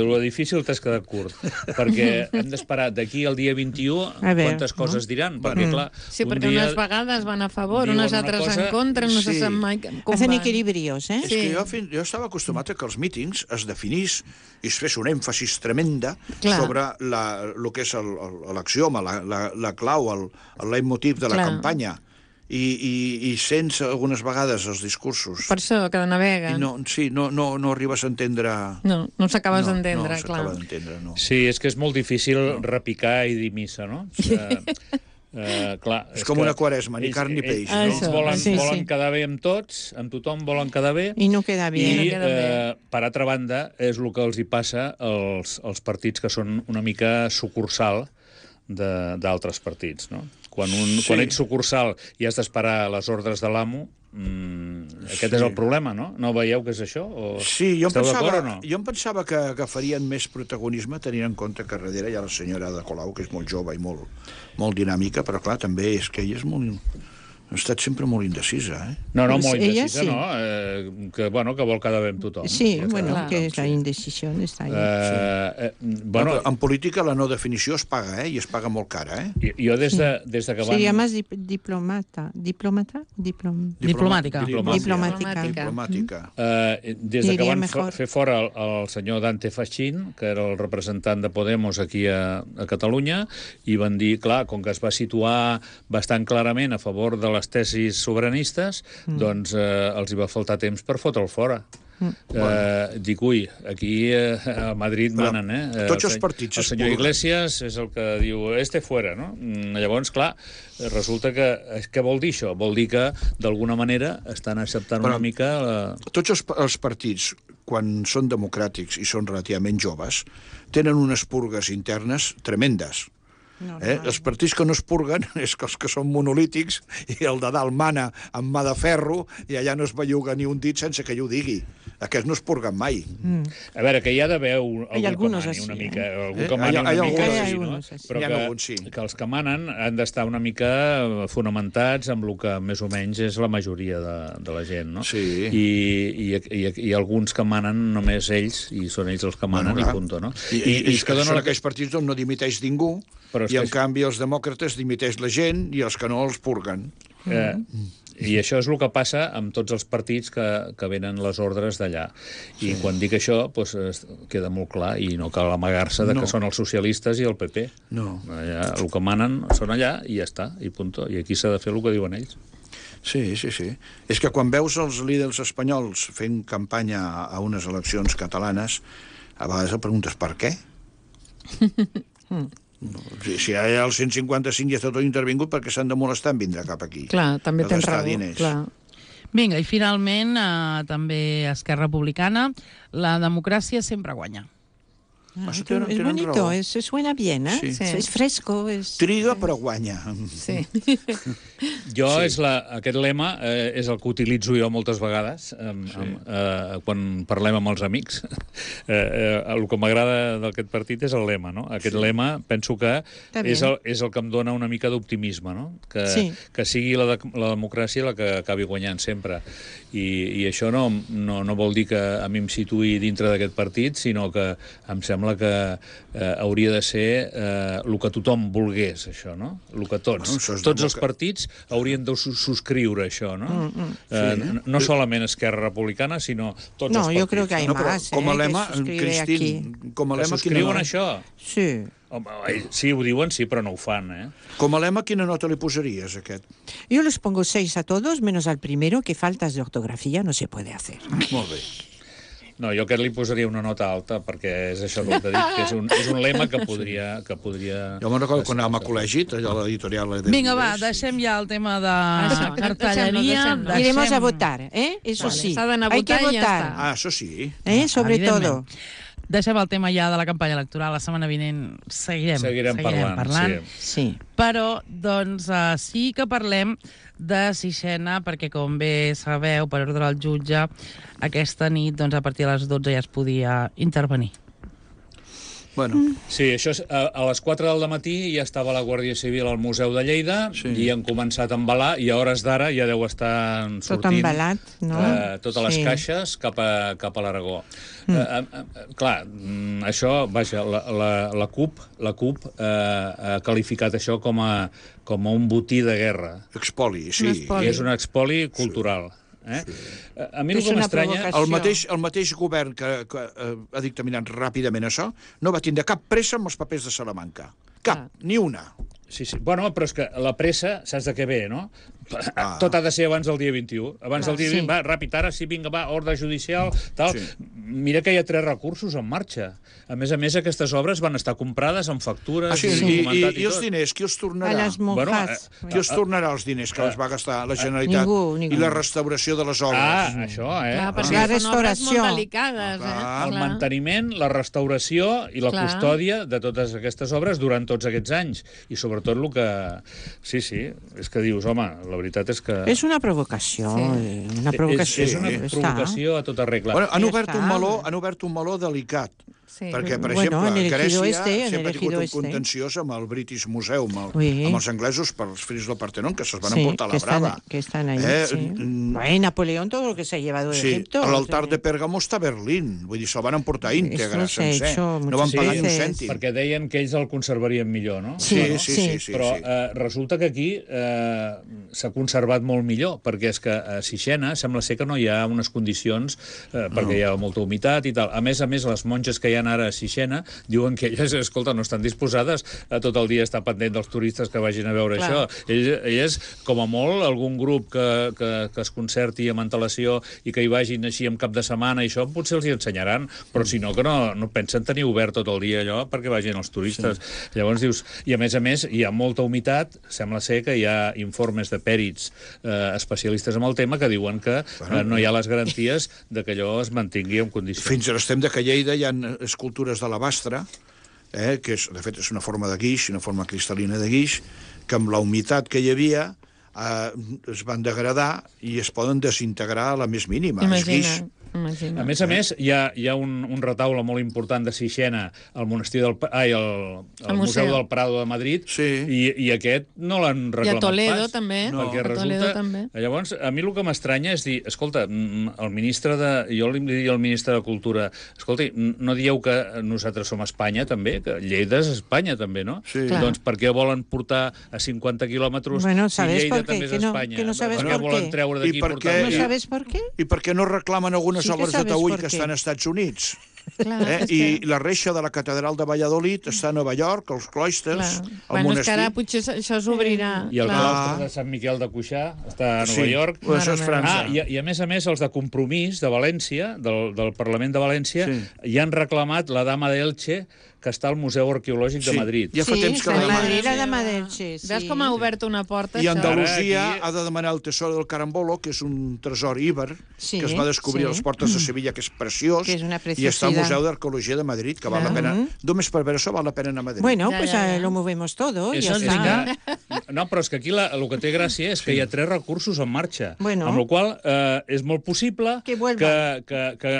Lo difícil t'has quedat curt, perquè hem d'esperar d'aquí al dia 21 quantes coses diran, perquè clar... Sí, perquè unes vegades van a favor, unes altres en contra, no se sap mai com van. Hacen equilibrios, És que jo estava acostumat a que els mítings es definís i es fes un èmfasis tremenda sobre el que és l'axioma, la clau, el leitmotiv de la campanya. I sents algunes vegades els discursos. Per això, que navega. No arribes a entendre... No s'acabes d'entendre, clar. No s'acaba d'entendre, no. Sí, és que és molt difícil repicar i dir missa, no? Clar, és com una quaresma, ni carn ni peix. Ells volen quedar bé amb tots, amb tothom volen quedar bé. I no queda bé. I, per altra banda, és el que els hi passa als partits que són una mica sucursal d'altres partits, no? Quan ets sucursal i has d'esperar les ordres de l'amo, aquest és el problema, no? No veieu que és això? Sí, jo em pensava que farien més protagonisme tenint en compte que darrere hi ha la senyora Ada Colau, que és molt jove i molt dinàmica, però clar, també és que ella és molt... Ha estat sempre molt indecisa, No, molt indecisa, no. Que vol quedar bé amb tothom. Sí, que és la indecisió està allà. En política la no definició es paga, i es paga molt cara, Jo des de que van... Seria més diplomàtica. Des de que van fer fora el senyor Dante Fachin, que era el representant de Podemos aquí a Catalunya, i van dir, clar, com que es va situar bastant clarament a favor de les tesis sobiranistes, doncs els hi va faltar temps per fotre'l fora. Dic, aquí a Madrid manen, Tots els partits el senyor Iglesias és el que diu, fuera, no? Llavors, clar, resulta que... Què vol dir això? Vol dir que, d'alguna manera, estan acceptant una mica... Tots els partits, quan són democràtics i són relativament joves, tenen unes purgues internes tremendes. Els partits que no es purguen és que els que són monolítics i el de dalt mana amb mà de ferro i allà no es belluga ni un dit sense que ell ho digui. Aquests no es purguen mai. A veure, que hi ha d'haver algú que mani una mica. Algú que mani una mica, però que els que manen han d'estar una mica fonamentats amb el que més o menys és la majoria de la gent, no? Sí. I alguns que manen només ells, i són ells els que manen, i punt, no? I són aquells partits on no dimiteix ningú, i en canvi els demòcrates dimiteix la gent i els que no els purguen. I això és el que passa amb tots els partits que venen les ordres d'allà. I quan dic això, queda molt clar, i no cal amagar-se que són els socialistes i el PP. No. El que manen són allà i ja està, i punt. I aquí s'ha de fer el que diuen ells. Sí. És que quan veus els líders espanyols fent campanya a unes eleccions catalanes, a vegades et preguntes per què? Si hi ha el 155 i està tot intervingut, perquè s'han de molestar en vindre cap aquí. Clar, també tens raó. Clar. Vinga, i finalment, també Esquerra Republicana, la democràcia sempre guanya. Es bonito, suena bien, es fresco. Triga, però guanya. Sí. Aquest lema és el que utilitzo jo moltes vegades quan parlem amb els amics. El que m'agrada d'aquest partit és el lema, no? Aquest lema penso que és el que em dona una mica d'optimisme, no? Que sigui la democràcia la que acabi guanyant sempre. I això no vol dir que a mi em situï dintre d'aquest partit, sinó que em sembla que hauria de ser el que tothom volgués, això, no? El que tots els partits haurien de subscriure això, no? No solament Esquerra Republicana, sinó tots els partits. No, jo crec que hi ha més, com a lema, Cristín, que subscriuen això? Sí. Sí, ho diuen, sí, però no ho fan, Com a lema, quina nota li posaries, aquest? Yo les pongo 6 a todos, menos al primero, que faltas de ortografía no se puede hacer. Molt bé. No, jo aquest li posaria una nota alta, perquè és això que t'he dit, que és un lema que podria... Jo me'n recordo quan anàvem a col·legi, allò a l'editorial... Vinga, va, deixem ja el tema de cartelleria. Iremos a votar, Eso sí. Hay que votar. Això sí. Sobre todo. Deixem el tema ja de la campanya electoral. La setmana vinent seguirem parlant. Sí. Però, doncs, sí que parlem de Sixena, perquè, com bé sabeu, per ordre del jutge, aquesta nit, doncs, a partir de les 12 ja es podia intervenir. Sí, això és, a les 4 del matí ja estava la Guàrdia Civil al Museu de Lleida i han començat a embalar i a hores d'ara ja deu estar sortint... Tot embalat, no? Totes les caixes cap a l'Aragó. Clar, això, vaja, la CUP ha qualificat això com a un botí de guerra. Expoli, sí. I és un expoli cultural. A mi el que m'estranya... El mateix govern que ha dictaminat ràpidament això no va tindre cap pressa amb els papers de Salamanca. Cap, ni una. Sí. Bueno, però és que la pressa, saps de què ve, no? Tot ha de ser abans del dia 21. Abans del dia 20, va, ràpid, ara sí, vinga, va, ordre judicial, tal. Mira que hi ha 3 recursos en marxa. A més, aquestes obres van estar comprades amb factures i els diners, qui els tornarà? A les monjas. Qui els tornarà els diners que els va gastar la Generalitat? Ningú. I la restauració de les obres? Això, Clar, perquè la són obres restauració. molt delicades, El manteniment, la restauració i la custòdia de totes aquestes obres durant tots aquests anys. I sobretot el que... Sí, és que dius, home, la veritat és que... És una provocació. Una provocació. És una provocació a tota regla. Bueno, han obert un meló delicat. Perquè, per exemple, Grècia sempre ha tingut un contenciós amb el British Museum, amb els anglesos pels fris del Partenón, que se'ls van emportar a la brava. Que estan ahí, Napoleón, todo lo que se ha llevado de Egipto. L'altar de Pèrgamo està a Berlín, vull dir, se'l van emportar íntegre, sencer. No van pagar ni un cèntim. Perquè deien que ells el conservarien millor, no? Sí. Però resulta que aquí s'ha conservat molt millor, perquè és que a Sixena sembla ser que no hi ha unes condicions, perquè hi ha molta humitat i tal. A més, les monges que hi ha ara a Sixena diuen que elles, escolta, no estan disposades a tot el dia estar pendent dels turistes que vagin a veure això. Elles, com a molt, algun grup que es concerti amb antelació i que hi vagin així en cap de setmana i això, potser els hi ensenyaran, però si no, que no pensen tenir obert tot el dia allò perquè vagin els turistes. Llavors dius, i a més, hi ha molta humitat, sembla ser que hi ha informes de pèrits especialistes en el tema que diuen que no hi ha les garanties de que allò es mantingui en condicions. Fins a l'extrem de que a Lleida hi ha escultures d'alabastre, que de fet és una forma de guix, una forma cristal·lina de guix, que amb la humitat que hi havia es van degradar i es poden desintegrar a la més mínima. Imagina't. A més, hi ha un retaule molt important de Sixena al monestir al Museu del Prado de Madrid, i aquest no l'han reclamat pas. I a Toledo també. Perquè resulta... Llavors, a mi el que m'estranya és dir, escolta, jo li diria al ministre de Cultura, escolta, no dieu que nosaltres som Espanya també, que Lleida és Espanya també, no? Doncs per què volen portar a 50 quilòmetres si Lleida també és Espanya? Per què volen treure d'aquí i portar... ¿No sabes per què? I per què no reclamen algunes obres de taüll que estan als Estats Units? I la reixa de la catedral de Valladolid està a Nova York, els clòisters, el monestir... És que ara potser això s'obrirà. I el claustre de Sant Miquel de Cuixà està a Nova York. Això és França. I a més, els de Compromís de València, del Parlament de València, ja han reclamat la Dama d'Elche, que està al Museu Arqueològic de Madrid. Ja fa temps que la Dama d'Elche. Veus com ha obert una porta? I Andalusia ha de demanar el tesoro del Carambolo, que és un tresor íber, que es va descobrir a les portes de Sevilla, que és preciós, i està al Museu d'Arqueologia de Madrid, que val la pena... Només per veure això val la pena anar a Madrid. Bueno, pues lo movemos todo. No, però és que aquí el que té gràcia és que hi ha 3 recursos en marxa, amb la qual és molt possible que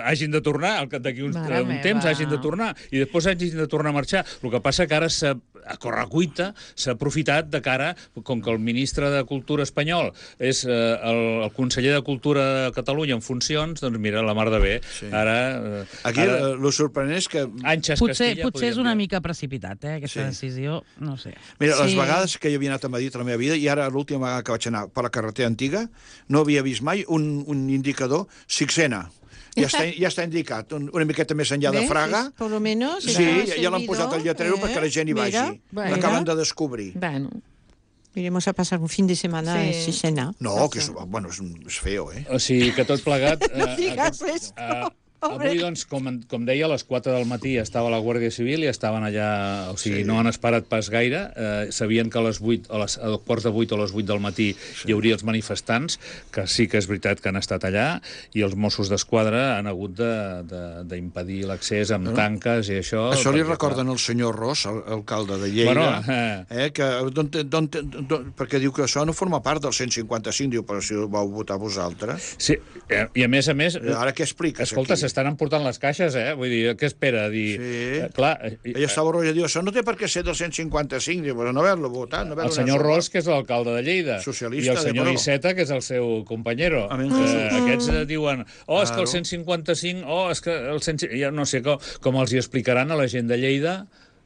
hagin de tornar, d'aquí un temps hagin de tornar, i després hagin de tornar a marxar. El que passa que ara a correcuita s'ha aprofitat de cara, com que el ministre de Cultura espanyol és el conseller de Cultura de Catalunya en funcions, doncs mira, la mar de bé. Aquí el sorprenent és que... Potser és una mica precipitat, aquesta decisió, no sé. Mira, les vegades que jo havia anat a Madrid a la meva vida, i ara l'última vegada que vaig anar per la carretera antiga, no havia vist mai un indicador Sixena. Ja està indicat, una miqueta més enllà de Fraga. Por lo menos. Sí, ja l'han posat al lletrero perquè la gent hi vagi. L'acaben de descobrir. Iremos a pasar un fin de semana en Sixena. No, que és feo, O sigui, que tot plegat... No digas eso. Avui, doncs, com deia, a les 4 del matí estava la Guàrdia Civil i estaven allà, o sigui, no han esperat pas gaire. Sabien que a les 8, a quarts de 8 o a les 8 del matí hi hauria els manifestants, que sí que és veritat que han estat allà, i els Mossos d'Esquadra han hagut d'impedir l'accés amb tanques i això... Això li recorden el senyor Ros, alcalde de Lleida, perquè diu que això no forma part del 155, diu, però si ho vau votar vosaltres. Sí, i a més... Ara què expliques? Escolta, se s'estan emportant les caixes, Vull dir, què espera? Clar, ella estava roja, diu, això no té per què ser 255, diu, no haver-lo votat. El senyor Ros, que és l'alcalde de Lleida, socialista, i el senyor Iceta, que és el seu companyero. Aquests diuen, és que el 155, és que el 155... Ja no sé com els hi explicaran a la gent de Lleida,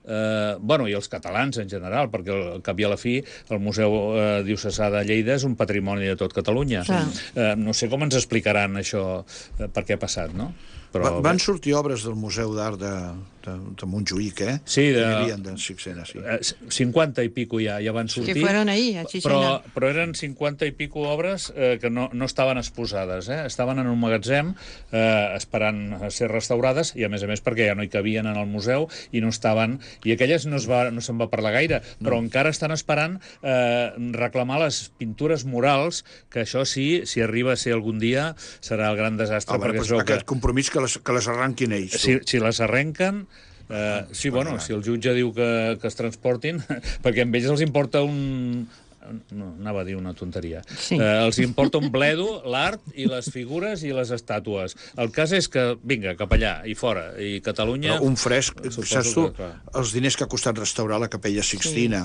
i els catalans en general, perquè al cap i a la fi el Museu Diocesà de Lleida és un patrimoni de tot Catalunya. No sé com ens explicaran això, per què ha passat, no? Van sortir obres del Museu d'Art de Montjuïc, Sí, de 50 i pico ja van sortir. Que fueron ahí, a Xixena. Però eren 50 i pico obres que no estaven exposades, estaven en un magatzem esperant a ser restaurades, i a més perquè ja no hi cabien en el museu i no estaven... I aquelles no se'n va parlar gaire, però encara estan esperant reclamar les pintures murals, que això sí, si arriba a ser algun dia, serà el gran desastre. Aquest compromís que les arranquin ells. Si les arrenquen... si el jutge diu que es transportin, perquè amb ells els importa anava a dir una tonteria. Els importa un bledo, l'art i les figures i les estàtues. El cas és que, vinga, cap allà, i fora, i Catalunya... Un fresc, saps tu, els diners que ha costat restaurar la Capella Sixtina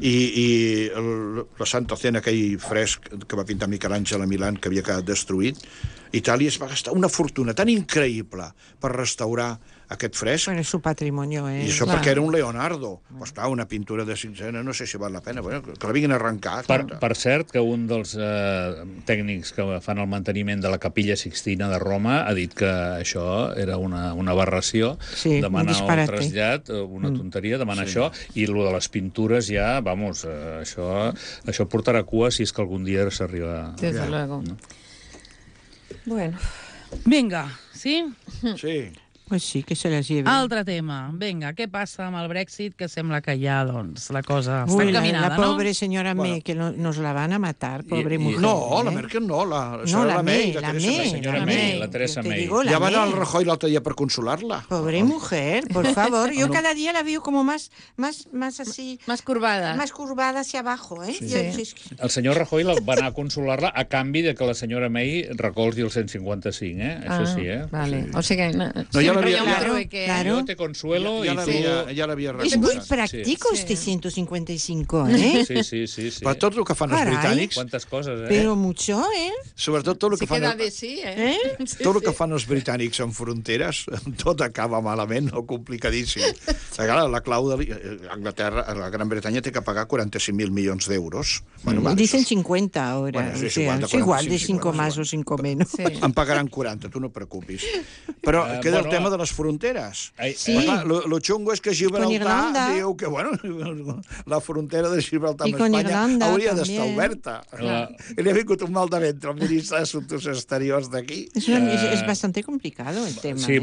i la Santa Cena, aquell fresc que va pintar Miquel Àngel a Milán, que havia quedat destruït, Itàlia es va gastar una fortuna tan increïble per restaurar aquest fresc. Bueno, és su patrimonio, I això perquè era un Leonardo. Pues clar, una pintura de Sixena, no sé si val la pena, que la vinguin a arrencar. Per cert, que un dels tècnics que fan el manteniment de la Capella Sixtina de Roma ha dit que això era una aberració, demana el trasllat, una tonteria, demana això, i el de les pintures ja, això portarà cua si és que algun dia s'arriba... Desde luego. Bueno. Vinga, sí? Sí. Pues sí, que se les lleve. Altre tema. Vinga, què passa amb el Brexit? Que sembla que ja, la cosa està Uy, encaminada, la pobre señora May, que nos la van a matar, pobre mujer. No, la Merkel no, la May. La senyora May, la Teresa May. Ja va anar al Rajoy l'altre dia per consolar-la. Pobre mujer, por favor. Yo cada día la veo como más así... Más curvada. Más curvada hacia abajo, El senyor Rajoy va anar a consolar-la a canvi de que la senyora May recolzi el 155, Això sí, Vale. O sigui que... Yo te consuelo y tú... Ja l'havia Es muy práctico este 155, Sí. Per tot el que fan els britànics... Quantes coses, Pero mucho, Sobretot tot el que fan... Tot el que fan els britànics en fronteres, tot acaba malament o complicadíssim. La clau de Anglaterra, la Gran Bretanya té que pagar 45.000 milions d'euros. Dicen 50 ahora. Es igual de 5 más o 5 menos. En pagaran 40, tu no preocupis. Però queda el tema de les fronteres. Lo xungo és que Gibraltar diu que, la frontera de Gibraltar amb Espanya hauria d'estar oberta. I li ha vingut un mal de ventre al ministre d'Assumptes Exteriors d'aquí. Es bastante complicado el tema. Sí,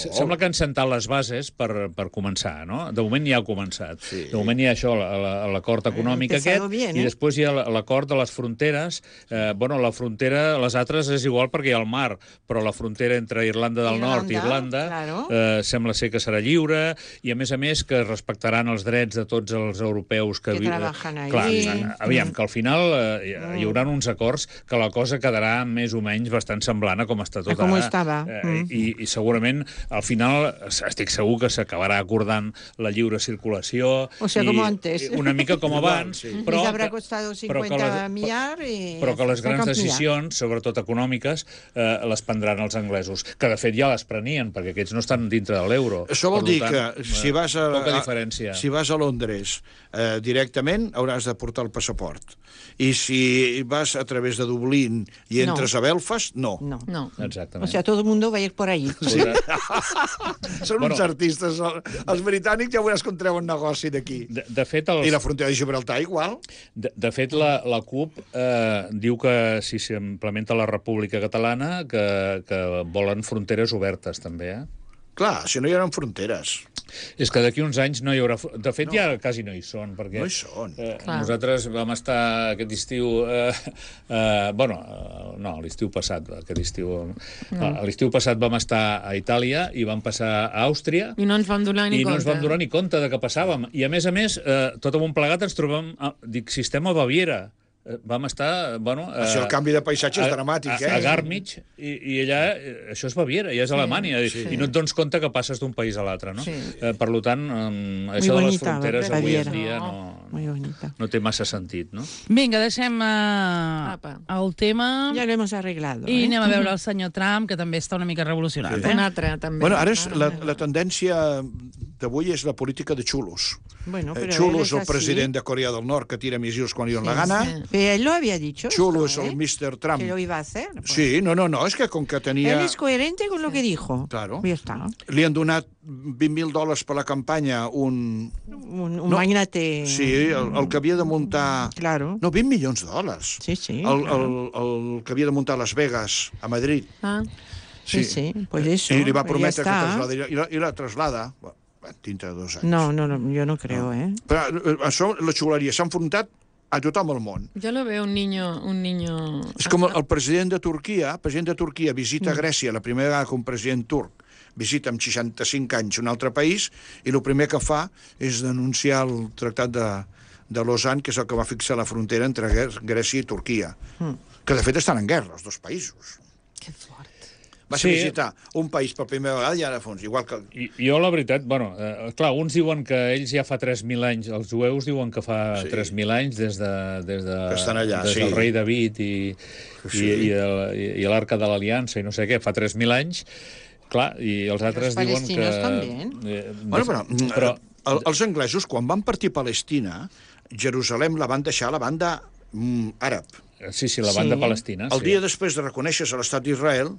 sembla que han sentat les bases per començar, no? De moment ja ha començat. De moment hi ha això, l'acord econòmic aquest, i després hi ha l'acord de les fronteres. La frontera, les altres és igual perquè hi ha el mar, però la frontera entre Irlanda del Nord i Irlanda sembla ser que serà lliure, i a més que respectaran els drets de tots els europeus que treballen allà. Clar, aviam, que al final hi haurà uns acords que la cosa quedarà més o menys bastant semblant a com està tot ara. I segurament al final estic segur que s'acabarà acordant la lliure circulació, una mica com abans, però que les grans decisions, sobretot econòmiques, les prendran els anglesos, que de fet ja les prenien, perquè aquests no estan dintre de l'euro. Això vol dir que si vas a Londres directament hauràs de portar el passaport. I si vas a través de Dublín i entres a Belfast, no. Exactament. O sea, todo el mundo va a ir por allí. Són uns artistes. Els britànics ja veuràs com treuen negoci d'aquí. I la frontera de Gibraltar igual. De fet, la CUP diu que si s'implementa la República Catalana que volen fronteres obertes també, Clar, si no hi haurà fronteres. És que d'aquí uns anys no hi haurà... De fet, ja quasi no hi són, perquè... No hi són. Nosaltres vam estar aquest estiu... l'estiu passat, aquest estiu... L'estiu passat vam estar a Itàlia i vam passar a Àustria... I no ens vam donar ni compte. I no ens vam donar ni compte de què passàvem. I, a més, tot amunt plegat ens trobem... Dic, si estem a Baviera... vam estar... El canvi de paisatge és dramàtic, a Garmisch, i allà, això és Baviera, ja és Alemanya, i no et dones compte que passes d'un país a l'altre, no? Per tant, això de les fronteres avui en dia no té massa sentit, no? Vinga, deixem el tema... Ja lo hemos arreglado. I anem a veure el senyor Trump, que també està una mica revolucionat. Un altre, també. Bueno, ara la tendència d'avui és la política de xulos. Chulo es el president de Corea del Nord que tira missils quan li dona la gana. Pero él lo había dicho. Chulo es el Mr. Trump. Que lo iba a hacer. Sí, no, es que com que tenia... Él es coherente con lo que dijo. Claro. Ya está. Li han donat $20,000 per la campanya un magnate... Sí, el que havia de muntar... Claro. No, $20 milions. Sí. El que havia de muntar a Las Vegas, a Madrid. Sí, pues eso. I li va prometre que traslada, i la traslada... dintre de 2 anys. No, yo no creo, Però això, la xuleria s'ha enfrontat a tothom al món. Yo lo veo un niño... És com el president de Turquia visita Grècia la primera vegada que un president turc visita amb 65 anys un altre país i el primer que fa és denunciar el tractat de Lausanne, que és el que va fixar la frontera entre Grècia i Turquia, que de fet estan en guerra, els dos països. Que fort. Va visitar un país per primera vegada i ara fons, igual que... Jo, la veritat, clar, uns diuen que ells ja fa 3.000 anys, els jueus diuen que fa 3.000 anys des del rei David i l'Arca de l'Aliança i no sé què, fa 3.000 anys, clar, i els altres diuen que... Però els anglesos, quan van partir Palestina, Jerusalem la van deixar a la banda àrab. Sí, la banda palestina. El dia després de reconèixer-se l'estat d'Israel,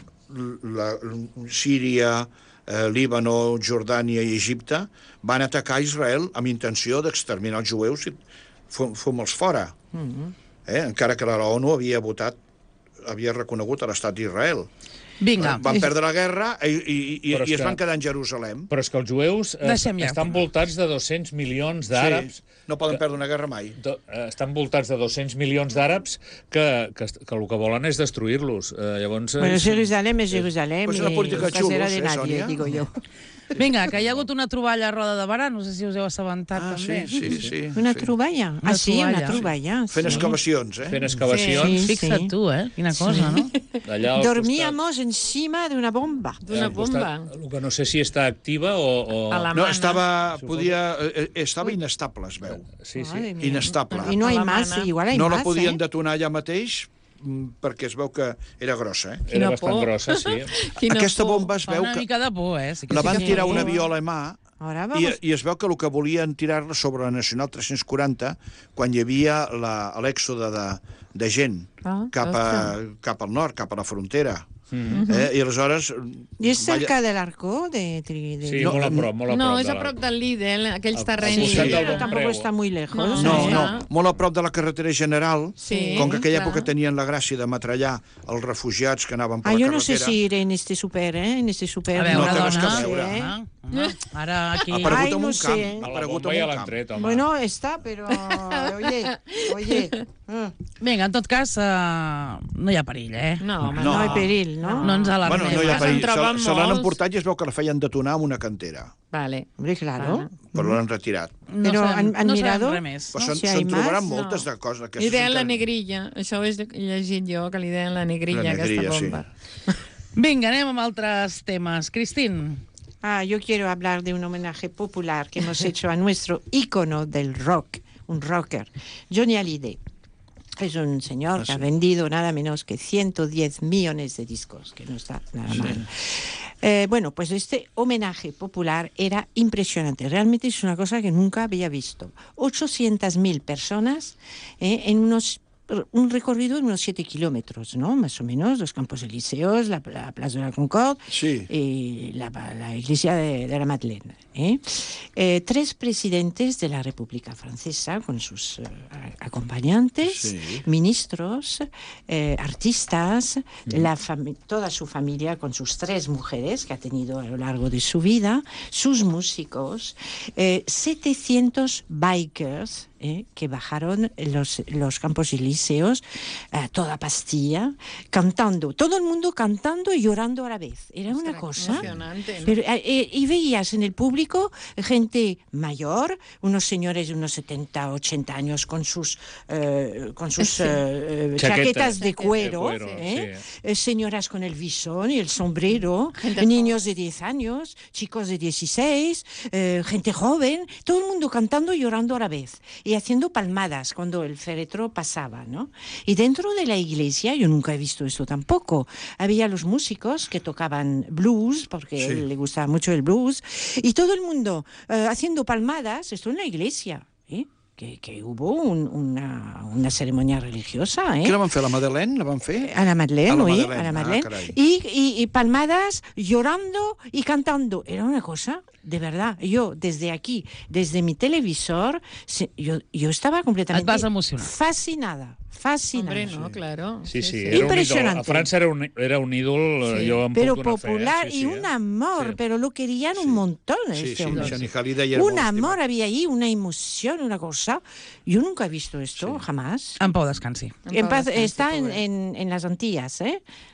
Síria, Líbano, Jordània i Egipte van atacar Israel amb intenció d'exterminar els jueus i fom-los fora. Encara que la ONU havia reconegut l'estat d'Israel. Vinga. Van perdre la guerra i es van quedar en Jerusalem. Però és que els jueus estan voltats de 200 milions d'àrabs. No poden perdre una guerra mai. Estan voltats de 200 milions d'àrabs que el que volen és destruir-los. Bueno, Jerusalem és Jerusalem i casera de nadie, digo yo. Vinga, que hi ha hagut una troballa a Roda de Barà, no sé si us heu assabentat també. Sí. Una troballa? Sí, una troballa. Fent excavacions, Fent excavacions. Fixa't tu, Quina cosa, no? Dormíamos encima d'una bomba. D'una bomba. El que no sé si està activa o... No, estava inestable, es veu. Sí. Inestable. I no hi más, igual hi más. No la podien detonar allà mateix perquè es veu que era grossa, Era bastant grossa, sí. Aquesta bomba es veu que... Una mica de por, la van tirar un avió alemà i es veu que el que volien tirar-la sobre la Nacional 340 quan hi havia l'èxode de gent cap al nord, cap a la frontera. I aleshores... I és cerca de l'Arcó? Sí, molt a prop. No, és a prop del Lidl, aquells terrenys. Tampoc està muy lejos. No, molt a prop de la carretera general, com que aquella època tenien la gràcia de metrallar els refugiats que anaven per la carretera. Jo no sé si era en este super, en este super... A veure, dona, ara aquí... Ha aparegut en un camp. A la bomba ja l'han tret, home. Bueno, està, però... Oye... Vinga, en tot cas, no hi ha perill, No, no hi ha perill, no? No ens alarmem. No hi ha perill. Se l'han emportat i es veu que la feien detonar amb una cantera. Vale. Hombre, claro. Però l'han retirat. Però han mirado... Se'n trobaran moltes de coses. Li deien la negrilla. Això ho he llegit jo, que li deien la negrilla, aquesta bomba. Vinga, anem amb altres temes. Cristín. Yo quiero hablar de un homenaje popular que hemos hecho a nuestro ícono del rock, un rocker, Johnny Hallyday. Es un señor que ha vendido nada menos que 110 millones de discos, que no está nada mal. Bueno, pues este homenaje popular era impresionante. Realmente es una cosa que nunca había visto. 800.000 personas en un recorrido de unos 7 kilómetros, ¿no? Más o menos, los Campos Elíseos, la Plaza de la Concorde y la iglesia de la Madeleine. 3 presidentes de la República Francesa con sus acompañantes, ministros, artistas, toda su familia con sus 3 mujeres que ha tenido a lo largo de su vida, sus músicos, 700 bikers, que bajaron los Campos Elíseos, toda Pastilla, cantando, todo el mundo cantando y llorando a la vez. Era una cosa emocionante, ¿no? Pero, y veías en el público gente mayor, unos señores de unos 70, 80 años con sus chaquetas de cuero, señoras con el visón y el sombrero, niños de 10 años, chicos de 16, gente joven, todo el mundo cantando y llorando a la vez y haciendo palmadas cuando el féretro pasaba, ¿no? Y dentro de la iglesia, yo nunca he visto esto tampoco, había los músicos que tocaban blues, porque a él le gustaba mucho el blues, y todo el mundo haciendo palmadas, esto en la iglesia, que hubo una ceremonia religiosa. Què la van fer, a la Madeleine? La van fer? A la Madeleine, oui, a la Madeleine. Y palmadas, llorando y cantando. Era una cosa, de verdad. Yo, desde aquí, desde mi televisor, yo estaba completamente fascinada. Hombre, no, claro. Sí. Impresionante. A França era un ídol, jo em puc pero donar popular fe. Y un amor, pero lo querían un montón. Un amor había ahí, una emoción, una cosa. Yo nunca he visto esto, jamás. En pau descansi. Está en las Antillas,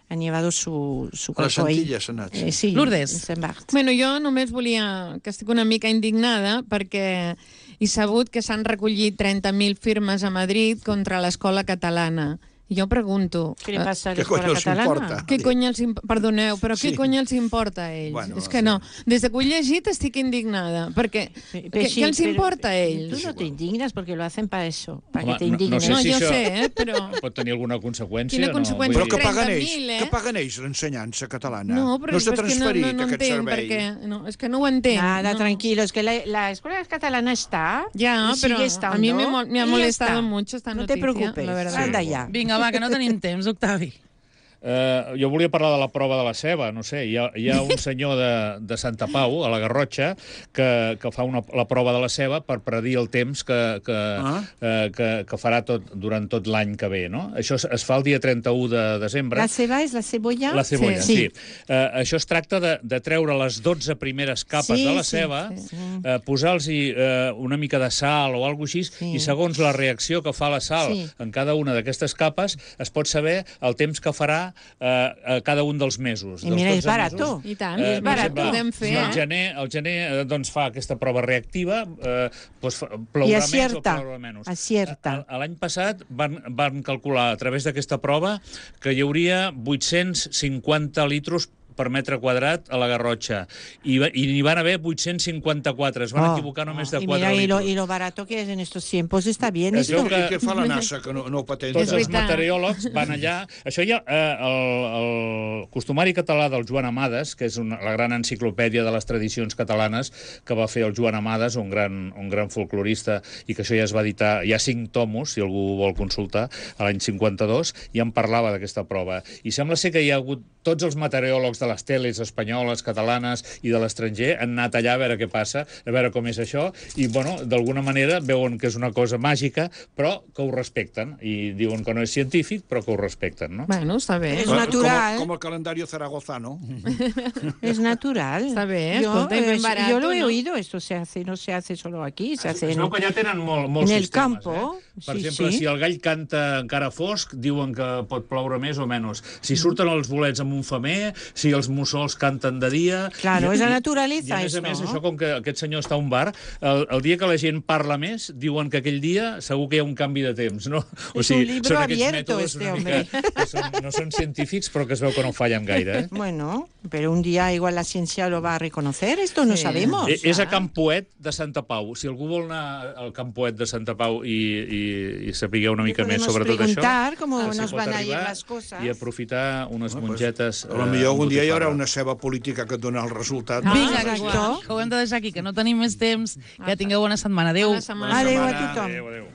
han llevado su a les Antilles s'ha anat. Sí, Lourdes. Bueno, jo només volia que estic una mica indignada perquè he sabut que s'han recollit 30.000 firmes a Madrid contra l'escola catalana. I jo pregunto... Què li passa a l'escola catalana? Què cony els perdoneu, però què cony els importa a ells? Bueno, és que no. Des que ho he llegit estic indignada, perquè què els importa a ells? Tu no te indignas porque lo hacen para eso, para que te No indignes. sé si jo això sé, però... pot tenir alguna conseqüència. Quina conseqüència? Però què paguen ells? 30.000, Què paguen ells, l'ensenyança catalana? No, però no està és que transferit, no aquest entenc, servei. perquè... No, és que no ho entenc. Nada, tranquilo, es que la escuela catalana está. Ya, pero a mí me ha molestado mucho esta noticia. No te preocupes, la verdad. anda ya. Vinga, va, que no tenim temps, Octavi. Jo volia parlar de la prova de la ceba, no sé, hi ha un senyor de Santa Pau, a la Garrotxa, que fa la prova de la ceba per predir el temps que farà durant tot l'any que ve, no? Això es fa el dia 31 de desembre. La ceba és la cebolla? La cebolla, sí. Això es tracta de treure les 12 primeres capes de la ceba, posar-los-hi una mica de sal o alguna cosa així, i segons la reacció que fa la sal en cada una d'aquestes capes, es pot saber el temps que farà a cada un dels mesos. I mira, és barat. I tant, és barat. Podem fer. El gener doncs, fa aquesta prova reactiva, plourà més o plourà menys. L'any passat van calcular a través d'aquesta prova que hi hauria 850 litros per metre quadrat a la Garrotxa. I n'hi van haver 854. Es van equivocar només de 4 litros. Y lo barato que es en estos tiempos está bien. I què fa la NASA, que no ho patenta? Tots els meteoròlegs van allà. Això ja, el costumari català del Joan Amades, que és la gran enciclopèdia de les tradicions catalanes que va fer el Joan Amades, un gran folclorista, i que això ja es va editar, hi ha 5 tomos, si algú vol consultar, a l'any 52, i en parlava d'aquesta prova. I sembla ser que hi ha hagut tots els meteoròlegs de les teles espanyoles, catalanes i de l'estranger han anat allà a veure què passa, a veure com és això, i, bueno, d'alguna manera veuen que és una cosa màgica, però que ho respecten, i diuen que no és científic, però que ho respecten, no? Bueno, està bé. És natural. Com el calendari zaragozano. Es natural. Está bien, escolta, y bien barato, yo lo he oído, esto no se hace solo aquí, se hace es veu que ja tenen molts en el sistemes, campo. Per exemple, si el gall canta encara fosc, diuen que pot ploure més o menys. Si surten els bolets amb un femer, si els mussols canten de dia... Claro, és la naturalesa, I a més, això, com que aquest senyor està a un bar, el dia que la gent parla més, diuen que aquell dia segur que hi ha un canvi de temps, no? És un libro abierto, este hombre. No són científics, però que es veu que no fallen gaire. Bueno, pero un día igual la ciencia lo va a reconocer, esto no sabemos. És a Camp Poet de Santa Pau. Si algú vol anar al Camp Poet de Santa Pau i saber una mica més sobre tot això... Preguntar cómo nos van a ir las cosas. I aprofitar unes mongetes... A lo millor algun dia hi haurà una ceba política que et dona el resultat. Vinga, que ho hem de deixar aquí, que no tenim més temps. Que tingueu bona setmana. Adéu. Adéu a tothom. Adéu.